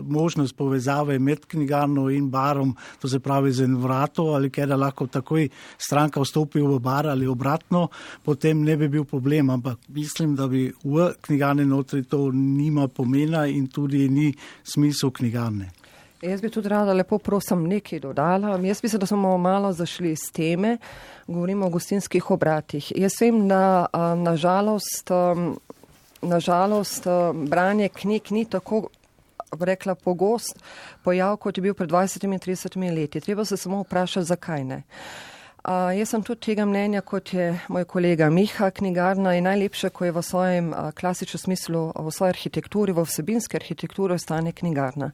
možnost povezave med knjigarno in barom, to se pravi z en vrato ali kaj, da lahko takoj stranka vstopi v bar ali obratno, potem ne bi bil problem, ampak mislim, da bi v knjigarni notri to nima pomena in tudi ni smisel knjigarne. Jaz bi tudi rada lepo prosim nekaj dodala. Jaz mislim, da smo malo zašli iz teme, govorimo o gostinskih obratih. Jaz vem, da nažalost branje knjig ni tako rekla pogost pojav, kot je bil pred 20 in 30 leti. Treba se samo vprašati, zakaj ne. Jaz sem tudi tega mnenja, kot je moj kolega Miha, knjigarna je najlepša, ko je v svojem klasičnem smislu, v svoji arhitekturi, v vsebinski arhitekturi ostane knjigarna.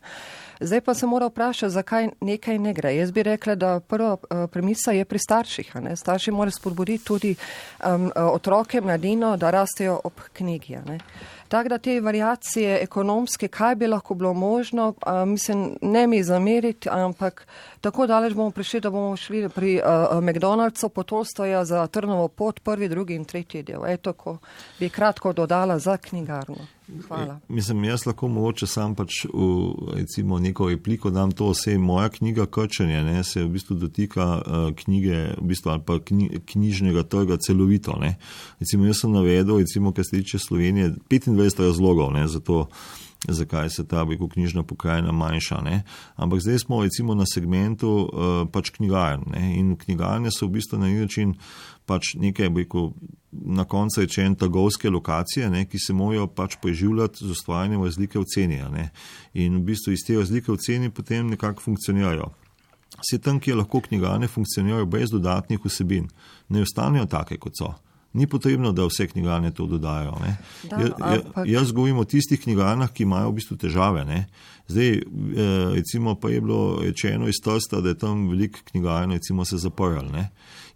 Zdaj pa se mora vprašati, zakaj nekaj ne gre. Jaz bi rekla, da prva premisa je pri starših. Starši morajo spodbuditi tudi otroke, mladino, da rastejo ob knjigi. Tako da te variacije ekonomske, kaj bi lahko bilo možno, mislim, ne mi zameriti, ampak tako daleč bomo prišli, da bomo šli pri McDonald'su po Tolstoja za Trnovo pot, 1., 2. in 3. del. Eto, ko bi kratko dodala za knjigarno. Hvala. Mislim, jaz lahko mogoče sam pač recimo neko repliko dam to, vse moja knjiga Krčenje, se v bistvu dotika knjige, v bistvu ali pa knjižnega trga celovito, Recimo, jaz sem navedel, recimo, kar se tiče Slovenije, 25 razlogov, za to, zakaj se ta knjižna pokrajina manjša, Ampak zdaj smo recimo na segmentu pač knjigarn, In knjigarne so v bistvu na neki način pač nekaj, na koncu rečen trgovske lokacije, ki se morajo pač preživljati z ustvarjanjem razlike v ceni, In v bistvu iz te razlike v ceni potem nekako funkcionirajo. Vse tam, kjer lahko knjigarne funkcionirajo brez dodatnih vsebin, ne ostanejo take, kot so. Ni potrebno, da vse knjigarne to dodajo. Jaz govorim o tistih knjigarnah, ki imajo v bistvu težave. Zdaj, recimo, pa je bilo rečeno iz Trsta, da je tam veliko knjigarn, recimo, se zaprl.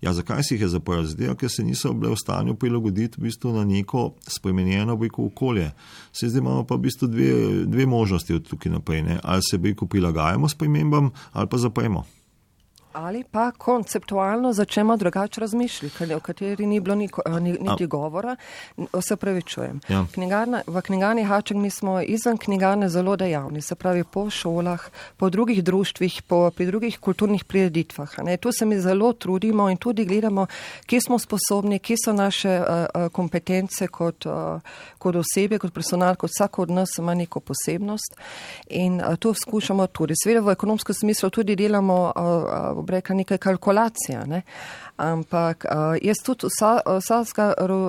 Ja, zakaj si jih je zaprl? Zdaj, ker se niso bile v stanju prilagoditi v bistvu na neko spremenjeno okolje. Zdaj imamo pa v bistvu dve možnosti od tukaj naprej. Ali se prilagajamo spremembam, ali pa zapremo. Ali pa konceptualno začnemo drugače razmišljati, o kateri ni bilo niti govora. Se pravi, čujem. Ja. V knjigarni Haček mi smo izven knjigarne zelo dejavni, se pravi po šolah, po drugih društvih, pri drugih kulturnih prireditvah. Tu se mi zelo trudimo in tudi gledamo, kje smo sposobni, kje so naše kompetence kot osebe, kot personal, kot vsako od nas ima neko posebnost. In to skušamo tudi. Seveda v ekonomskem smislu tudi delamo rekla nekaj kalkulacija, ampak jaz tudi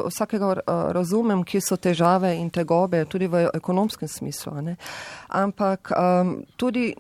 vsakega razumem, kje so težave in tegobe, tudi v ekonomskem smislu, ampak tudi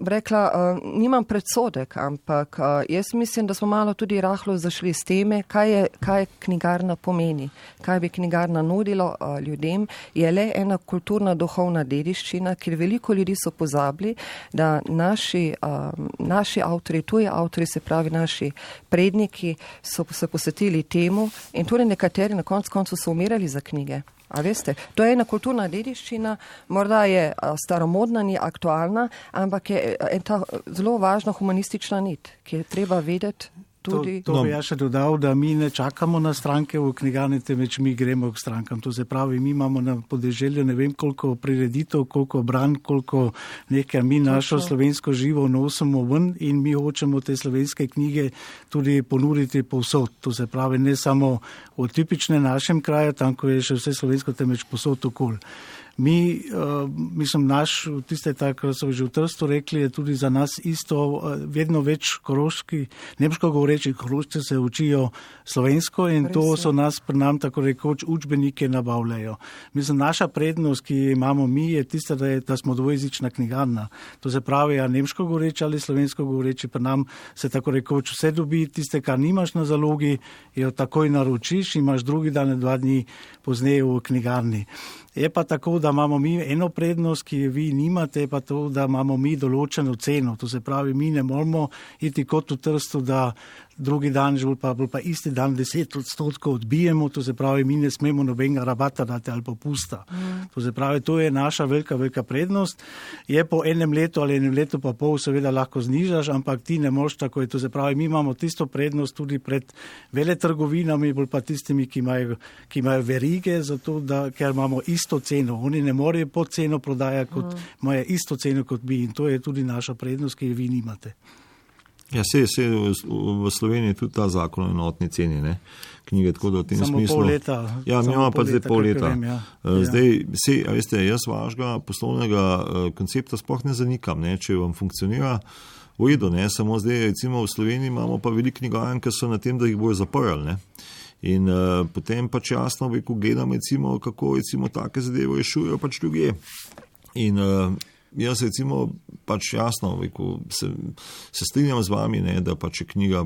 rekla, nimam predsodek, ampak jaz mislim, da smo malo tudi rahlo zašli s teme, kaj knjigarna pomeni, kaj bi knjigarna nudilo ljudem, je le ena kulturna duhovna dediščina, ker veliko ljudi so pozabili, da naši avtori, tuji avtori, se pravi naši predniki, so se posvetili temu in tudi nekateri na koncu so umirali za knjige. A veste, to je ena kulturna dediščina, morda je staromodna, ni aktualna, ampak je ta zelo važna humanistična nit, ki je treba vedeti tudi. To bi ja še dodal, da mi ne čakamo na stranke v knjigarni, temveč mi gremo k strankam. To se pravi, mi imamo na podeželju ne vem koliko prireditev, koliko bran, koliko nekaj, mi našo slovensko živo nosimo ven in mi hočemo te slovenske knjige tudi ponuditi povsod. To se pravi, ne samo v tipične našem kraju, tam, ko je še vse slovensko, temveč povsod okoli. Mislim, tiste, kar so že v Trstu rekli, je tudi za nas isto, vedno več nemško govoreči Korošci se učijo slovensko in to so nas pri nam tako rekoč učbenike nabavljajo. Mislim, naša prednost, ki imamo mi, je tista, da smo dvojezična knjigarna. To se pravi, nemško govoreči ali slovensko govoreči, pri nam se tako rekoč vse dobi, tiste, kar nimaš na zalogi, jo takoj naročiš, imaš drugi dan, 2 dni pozneje v knjigarni. Je pa tako, da imamo mi eno prednost, ki je vi nimate, pa to, da imamo mi določeno ceno. To se pravi, mi ne moramo iti kot v Trstu, da drugi dan, pa isti dan 10% odbijemo, to se pravi, mi ne smemo nobenega rabata dati ali popusta. To se pravi, to je naša velika prednost. Je po enem letu ali enem letu pa pol seveda lahko znižaš, ampak ti ne moš tako. To se pravi, mi imamo tisto prednost tudi pred veletrgovinami, bolj pa tistimi, ki imajo verige, zato ker imamo isto ceno. Oni ne morejo pod ceno prodajati, kot imajo isto ceno kot mi. In to je tudi naša prednost, ki jo vi nimate. Ja, v Sloveniji tudi ta zakon o enotni ceni, ne? Knjige, tako da v tem samo smislu. Pol leta. Ja, mi imamo pa zdaj pol leta. Vem, ja. Zdaj, veste, jaz vašega poslovnega koncepta sploh ne zanikam, ne? Če vam funkcionira v redu, ne? Samo zdaj, recimo v Sloveniji imamo pa veliko knjigarn, ki so na tem, da jih bojo zaprli, ne? In potem pač jasno, ko gledam, recimo, kako recimo take zadeve rešujejo pač ljudje. In jaz recimo pač jasno se strinjam z vami, ne, da pač je knjiga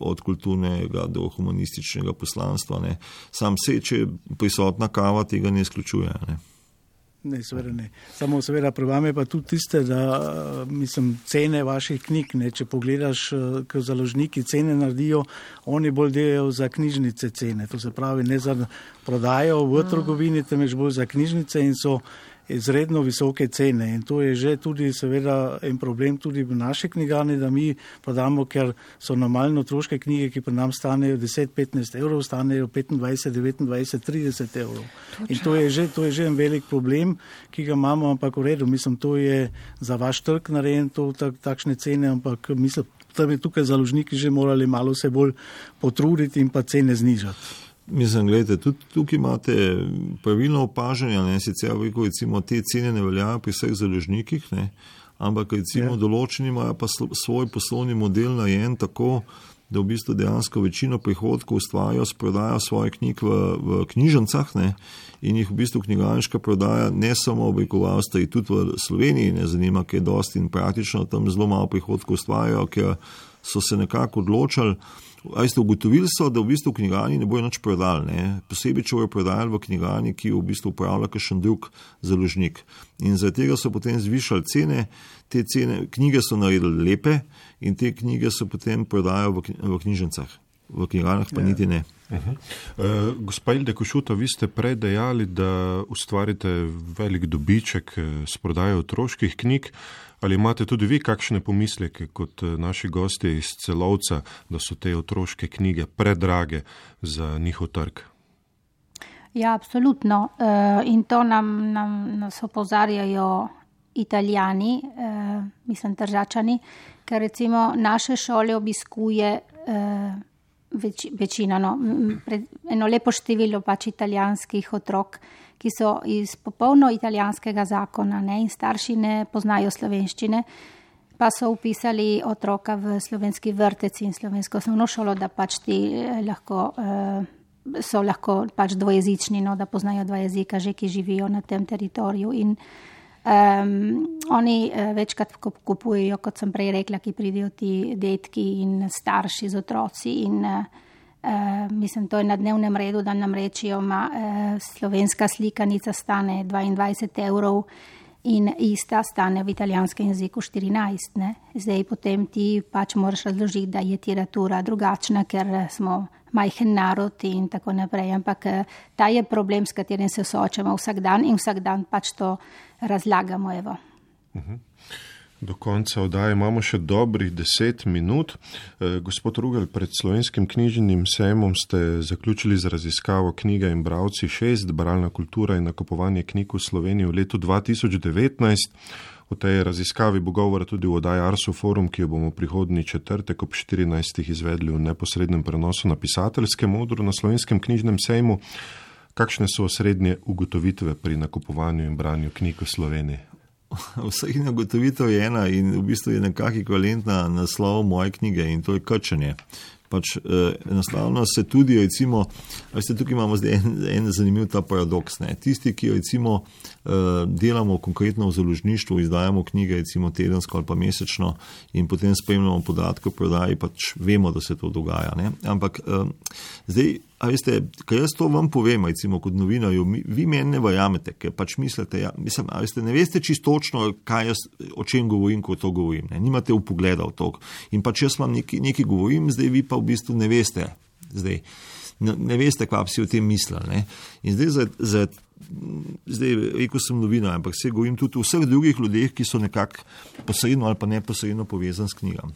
od kulturnega do humanističnega poslanstva. Ne. Sam se, če prisotna kava, tega ne izključuje. Ne. Ne, seveda ne. Samo seveda pri vami pa tudi tiste, da cene vaših knjig, ne, če pogledaš, ko založniki cene naredijo, oni bolj delajo za knjižnice cene. To se pravi, ne za prodajo v trgovini, temveč bolj za knjižnice in so izredno visoke cene. In to je že tudi seveda en problem tudi v naši knjigarni, da mi prodamo, ker so normalno otroške knjige, ki pri nam stanejo 10-15 evrov, stanejo 25-29-30 evrov. Točno. In to je že en velik problem, ki ga imamo, ampak v redu, to je za vaš trg narejen, takšne cene, ampak da bi tukaj založniki že morali malo se bolj potruditi in pa cene znižati. Gledajte, tudi tukaj imate pravilno opažanje, ne, sicer recimo te cene ne veljajo pri vseh založnikih, ne, ampak recimo določeni imajo pa svoj poslovni model narejen tako, da v bistvu dejansko večino prihodkov ustvarjajo s prodajo svojih knjig v knjižnicah, ne, in jih v bistvu knjigarniška prodaja ne samo v Avstriji, tudi v Sloveniji ne zanima, ker je dosti in praktično tam zelo malo prihodkov ustvarjajo, ker so se nekako odločali. Ugotovili so, da v bistvu v knjigarni ne bojo nič prodali, ne? Posebej, če bojo prodajali v knjigarni, ki v bistvu upravlja kakšen drug založnik. In zaradi tega so potem zvišali cene, te cene, knjige so naredili lepe in te knjige so potem prodajali v knjižnicah. V knjigarnah pa niti ne. Gospa Hilde Košuta, vi ste prej dejali, da ustvarite velik dobiček s prodajo otroških knjig. Ali imate tudi vi kakšne pomisleke kot naši gostje iz Celovca, da so te otroške knjige predrage za njihov trg? Ja, absolutno. In to nas opozarjajo Italijani, Tržačani, ker recimo naše šole obiskuje večina, eno lepo število pač italijanskih otrok, ki so iz popolno italijanskega zakona, ne, in starši ne poznajo slovenščine, pa so upisali otroka v slovenski vrtec in slovensko osnovno šolo, da pač ti so lahko pač dvojezični, no, da poznajo dva jezika, že ki živijo na tem teritoriju. In oni večkrat kupujejo, kot sem prej rekla, ki pridejo ti detki in starši z otroci in to je na dnevnem redu, da nam rečijo, slovenska slikanica stane 22 evrov in ista stane v italijanskem jeziku 14. Ne? Zdaj potem ti pač moraš razložiti, da je literatura drugačna, ker smo majhen narod in tako naprej. Ampak ta je problem, s katerim se soočamo vsak dan in vsak dan pač to razlagamo. Evo. Do konca oddaje imamo še dobrih 10 minut. Gospod Rugel, pred Slovenskim knjižnim sejmom ste zaključili z raziskavo Knjiga in bralci 6, bralna kultura in nakupovanje knjig v Sloveniji v letu 2019. O tej raziskavi bo govora tudi v oddaji Arso Forum, ki jo bomo prihodnji četrtek ob 14. izvedli v neposrednem prenosu na pisateljskem odru na Slovenskem knjižnem sejmu. Kakšne so osrednje ugotovitve pri nakupovanju in branju knjig v Sloveniji? Osrednja ugotovitev je ena in v bistvu je nekako ekvivalentna naslov moje knjige in to je krčenje. Enostavno se tudi, recimo, tukaj imamo zdaj en zanimiv ta paradoks. Ne? Tisti, ki recimo delamo konkretno v založništvu, izdajamo knjige recimo tedensko ali pa mesečno in potem spremljamo podatke o prodaji, vemo, da se to dogaja. Ne? Ampak zdaj, kaj jaz to vam povem, recimo kot novinarju, vi meni ne verjamete, ker mislite, ne veste čisto točno, o čem govorim, ko to govorim. Ne? Nimate vpogleda v to. In jaz vam nekaj govorim, zdaj vi pa v bistvu ne veste. Ne veste, kaj bi si o tem mislili. Ne? In zdaj rekel sem novinar, ampak se govorim tudi o vseh drugih ljudeh, ki so nekako posredno ali pa neposredno povezani s knjigami.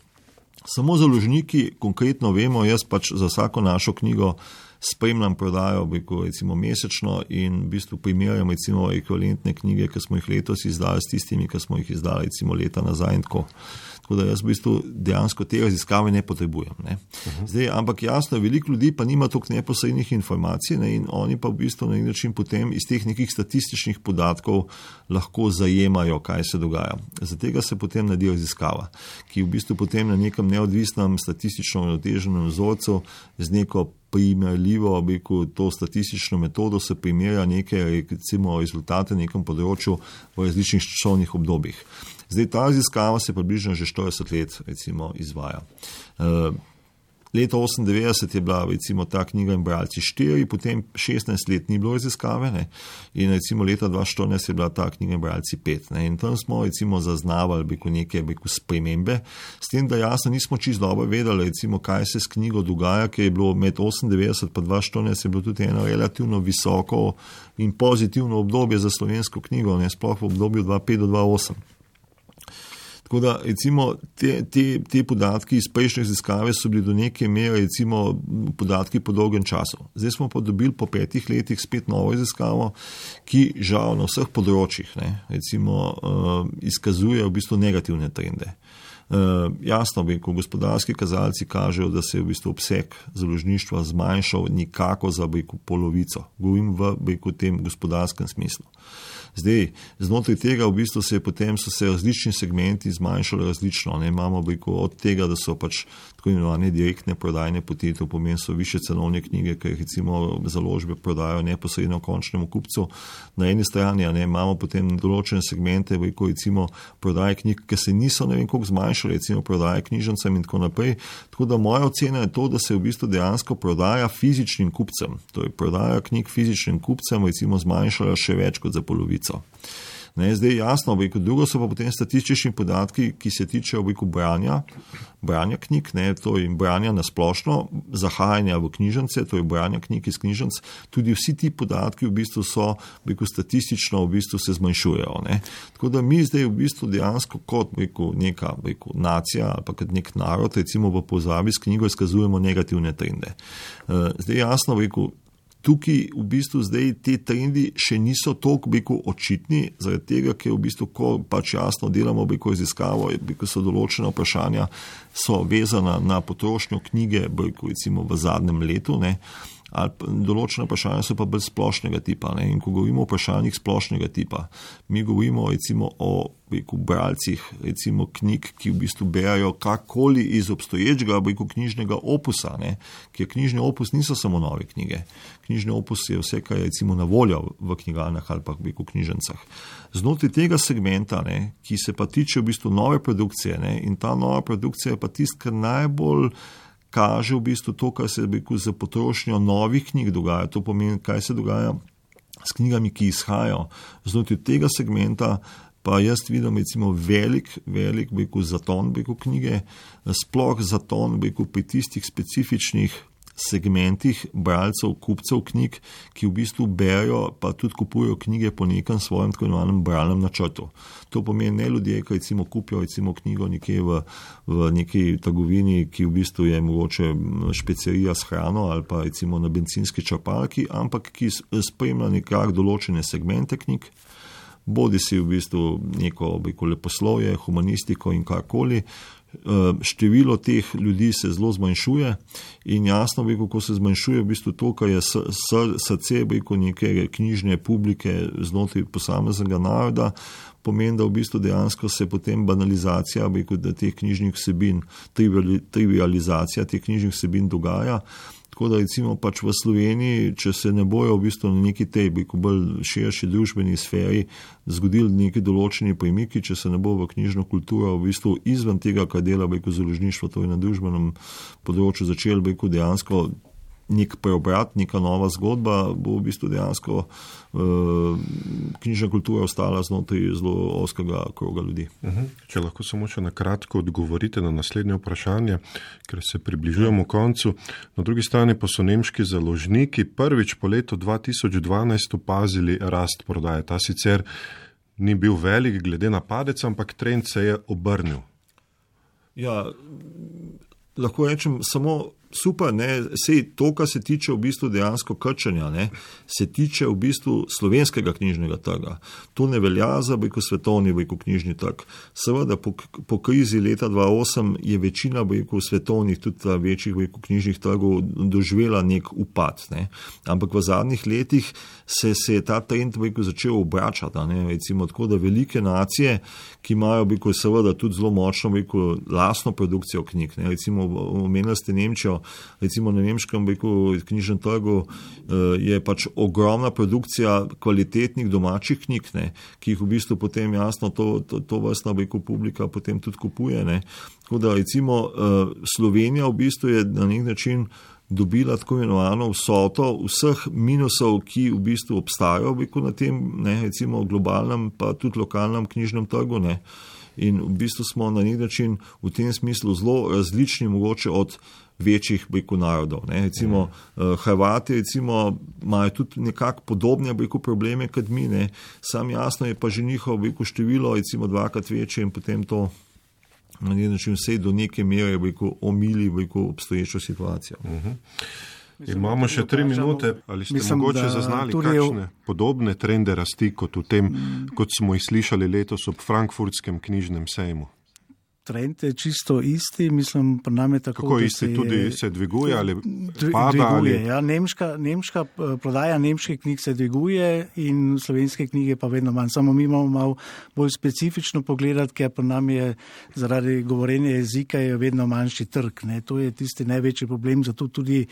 Samo založniki konkretno vemo, jaz za vsako našo knjigo spremljam prodajo, recimo mesečno in v bistvu primerjam recimo ekvivalentne knjige, ki smo jih letos izdali s tistimi, ki smo jih izdali recimo leta nazaj in tako. Tako da jaz v bistvu dejansko te raziskave ne potrebujem. Ne. Zdaj, ampak jasno, veliko ljudi pa nima toliko neposrednih informacij, ne, in oni pa v bistvu na nek način potem iz teh nekih statističnih podatkov lahko zajemajo, kaj se dogaja. Za tega se potem naredi raziskava, ki v bistvu potem na nekem neodvisnem statistično uravnoteženem vzorcu z neko primerljivo, to statistično metodo se primerja neke recimo rezultate na nekem področju v različnih časovnih obdobjih. Zdaj, ta raziskava se približno že 40 let recimo izvaja. Leto 1998 je bila recimo ta knjiga in bralci 4, potem 16 let ni bilo raziskave, ne? In recimo leta 2014 je bila ta knjiga in bralci 5. Ne? In tam smo recimo zaznavali neke spremembe, s tem, da jasno nismo čisto dobro vedeli, recimo, kaj se s knjigo dogaja, ker je bilo med 98 pa 2014 je bilo tudi eno relativno visoko in pozitivno obdobje za slovensko knjigo, ne? Sploh v obdobju 2005 do 2008. Tako da, recimo, te podatki iz prejšnje raziskave so bili do neke mere, recimo, podatki po dolgem času. Zdaj smo pa dobili po 5 letih spet novo raziskavo, ki žal na vseh področjih, ne, recimo, izkazuje v bistvu negativne trende. Jasno, ko gospodarski kazalci kažejo, da se je v bistvu obseg založništva zmanjšal nikako za polovico. Govorim v tem gospodarskem smislu. Zdaj, znotraj tega v bistvu so se različni segmenti zmanjšali različno. Ne? Imamo od tega, da so tako imenovane direktne prodajne poti, to pomeni so više cenovne knjige, ki jih recimo založbe prodajo neposredno končnemu kupcu. Na eni strani imamo potem določene segmente, recimo prodaje knjig, ki se niso ne vem koliko zmanjšali, recimo prodaje knjižnicam in tako naprej. Tako da moja ocena je to, da se v bistvu dejansko prodaja fizičnim kupcem. To je prodaja knjig fizičnim kupcem, recimo zmanjšala še več kot za polovico. Ne, zdaj jasno, drugo so pa potem statistični podatki, ki se tičejo branja knjig, ne, to je branja na splošno, zahajanja v knjižnice, to je branja knjig iz knjižnic, tudi vsi ti podatki v bistvu so statistično v bistvu se zmanjšujejo. Ne. Tako da mi zdaj v bistvu dejansko kot neka nacija ali pa kot nek narod, recimo v povezavi s knjigo izkazujemo negativne trende. Zdaj jasno, tukaj v bistvu zdaj te trendi še niso toliko očitni, zaradi tega, ker v bistvu, ko jasno delamo raziskavo, so določena vprašanja, so vezana na potrošnjo knjige, recimo v zadnjem letu, ne, ali določena vprašanja so pa bolj splošnega tipa. Ne. In ko govorimo o vprašanjih splošnega tipa, mi govorimo recimo o bralcih, recimo knjig, ki v bistvu berajo kakoli iz obstoječega knjižnega opusa, ne. Ker knjižni opus niso samo nove knjige. Knjižni opus je vse, kar je recimo na voljo v knjigarnah ali pa v knjižnicah. Znotraj tega segmenta, ne, ki se pa tiče v bistvu nove produkcije, ne, in ta nova produkcija je pa tist, kar najbolj kaže v bistvu to, kar se za potrošnjo novih knjig dogaja. To pomeni, kaj se dogaja s knjigami, ki izhajajo. Znotraj tega segmenta pa jaz vidim recimo velik zaton knjige, sploh zaton pri tistih specifičnih segmentih bralcev, kupcev knjig, ki v bistvu berajo pa tudi kupujejo knjige po nekem svojem tako imenovanem bralnem načrtu. To pomeni ne ljudje, ki recimo kupijo recimo knjigo nekje v neki trgovini, ki v bistvu je mogoče špecerija s hrano ali pa recimo na bencinski črpalki, ampak ki spremlja nekako določene segmente knjig, bodi si v bistvu neko leposlovje, humanistiko in karkoli. Število teh ljudi se zelo zmanjšuje in jasno, ko se zmanjšuje v bistvu to, kar je srce neke knjižne publike znotraj posameznega naroda, pomeni, da v bistvu dejansko se potem banalizacija teh knjižnih vsebin, trivializacija teh knjižnih vsebin dogaja. Tako da recimo pač v Sloveniji, če se ne bojo v bistvu na neki tej bolj širši družbeni sferi zgodili neki določeni premiki, če se ne bo v knjižno kulturo v bistvu izven tega, kar dela založništvo, to je na družbenem področju začel dejansko nek preobrat, neka nova zgodba, bo v bistvu dejansko knjižna kultura ostala znotraj zelo ozkega kroga ljudi. Če lahko samo še na kratko odgovorite na naslednje vprašanje, ker se približujemo koncu. Na drugi strani pa so nemški založniki prvič po letu 2012 opazili rast prodaje. Ta sicer ni bil velik glede na padec, ampak trend se je obrnil. Ja, lahko rečem samo super, sej to, kar se tiče v bistvu dejansko krčenja, se tiče v bistvu slovenskega knjižnega trga. To ne velja za svetovni knjižni trg. Seveda po krizi leta 2008 je večina svetovnih, tudi večjih knjižnih trgov doživela nek upad. Ampak v zadnjih letih se je ta trend začel obračati. Recimo tako, da velike nacije, ki imajo seveda tudi zelo močno lastno produkcijo knjig. Recimo omenili ste Nemčijo, recimo na nemškem knjižnem trgu je pač ogromna produkcija kvalitetnih domačih knjig, ki jih v bistvu potem jasno to vrstna publika potem tudi kupuje. Tako da recimo Slovenija v bistvu je na nek način dobila tako imenovano vsoto vseh minusov, ki v bistvu obstajajo na tem, recimo globalnem pa tudi lokalnem knjižnem trgu. In v bistvu smo na nek način v tem smislu zelo različni mogoče od večjih narodov. Recimo Hrvati recimo imajo tudi nekako podobne probleme kot mi, sam jasno je pa že njihovo število recimo dvakrat večje in potem to na nek način vse do neke mere omili obstoječo situacijo. Imamo še 3 minute. Ali ste mogoče zaznali kakšne podobne trende rasti kot v tem, kot smo jih slišali letos ob Frankfurtskem knjižnem sejmu? Trend je čisto isti, mislim, pri nam je tako, kako isti, tudi se dviguje ali pada? Dviguje, ja. Nemška prodaja nemških knjig se dviguje in slovenske knjige pa vedno manj. Samo mi imamo malo bolj specifično pogledati, ker pri nam je zaradi govorjenja jezika je vedno manjši trg. To je tisti največji problem, zato tudi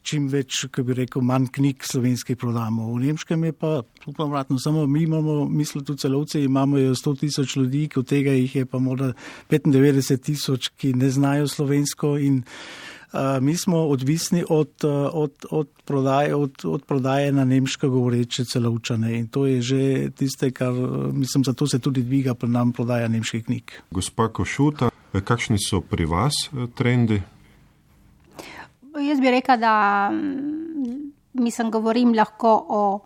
čim več, kako bi rekel, manj knjig slovenskih prodamo. V nemškem je pa vratno, samo mi imamo, mislim, tudi celovci imamo 100,000 ljudi, od tega jih je pa morda 95,000, ki ne znajo slovensko in mi smo odvisni od prodaje na nemško govoreče celovčane in to je že tiste, kar, mislim, zato se tudi dviga pri nam prodaja nemških knjig. Gospa Košuta, kakšni so pri vas trendi? Jaz bi rekla, da govorim lahko o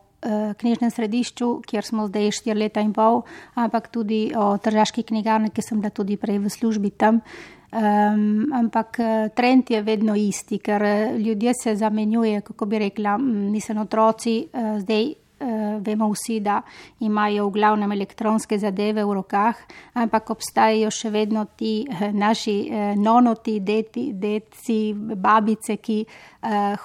knjižnem središču, kjer smo zdaj 4 leta in pol, ampak tudi o tržaški knjigarni, ki sem bila tudi prej v službi tam. Ampak trend je vedno isti, ker ljudje se zamenjuje, kako bi rekla, otroci zdaj. Vemo vsi, da imajo v glavnem elektronske zadeve v rokah, ampak obstajajo še vedno ti naši nonoti, deci, babice, ki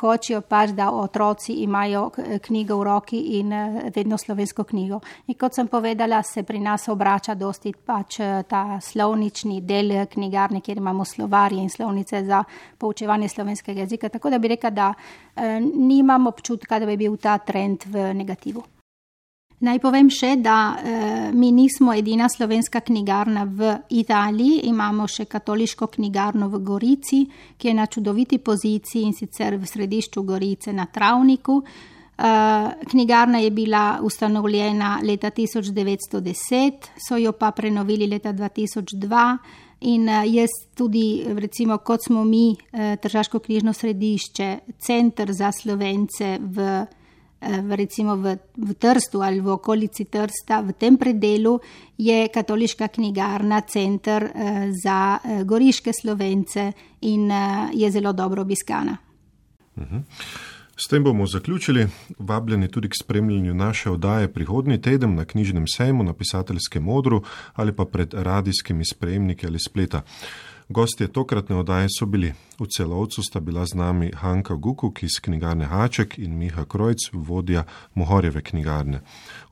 hočejo pač, da otroci imajo knjigo v roki in vedno slovensko knjigo. In kot sem povedala, se pri nas obrača dosti pač ta slovnični del knjigarne, kjer imamo slovarje in slovnice za poučevanje slovenskega jezika. Tako da bi rekla, da nimam občutka, da bi bil ta trend v negativu. Naj povem še, da mi nismo edina slovenska knjigarna v Italiji, imamo še katoliško knjigarno v Gorici, ki je na čudoviti poziciji in sicer v središču Gorice na Travniku. Knjigarna je bila ustanovljena leta 1910, so jo pa prenovili leta 2002 in jaz tudi, recimo, kot smo mi Tržaško knjižno središče, center za Slovence recimo v Trstu ali v okolici Trsta, v tem predelu je katoliška knjigarna center za goriške Slovence in je zelo dobro obiskana. S tem bomo zaključili. Vabljeni tudi k spremljanju naše oddaje prihodnji teden na knjižnem sejmu, na Pisateljskem odru ali pa pred radijskimi sprejemniki ali spleta. Gostje tokratne oddaje so bili: v Celovcu sta bila z nami Hanka Gukuk iz knjigarne Haček in Miha Krojc, vodja Mohorjeve knjigarne.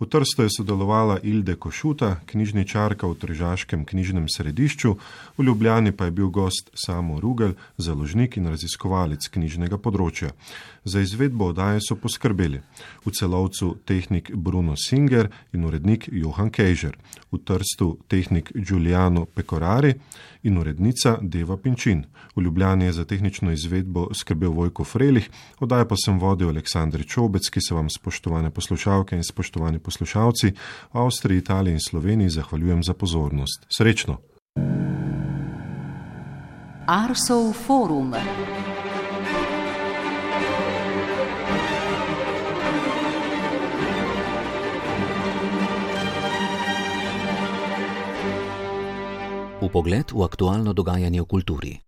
V Trstu je sodelovala Ilde Košuta, knjižničarka v Tržaškem knjižnem središču, v Ljubljani pa je bil gost Samo Rugel, založnik in raziskovalec knjižnega področja. Za izvedbo oddaje so poskrbeli v Celovcu tehnik Bruno Singer in urednik Johan Kejžer, v Trstu tehnik Giuliano Pecorari in urednica Deva Pinčin. V Ljubljani je za tehnično izvedbo skrbel Vojko Frelih, oddajo pa sem vodil Aleksandr Čobec, ki se vam, spoštovane poslušalke in spoštovani poslušalci, v Avstriji, Italiji in Sloveniji zahvaljujem za pozornost. Srečno! Arsov forum. Vpogled v aktualno dogajanje v kulturi.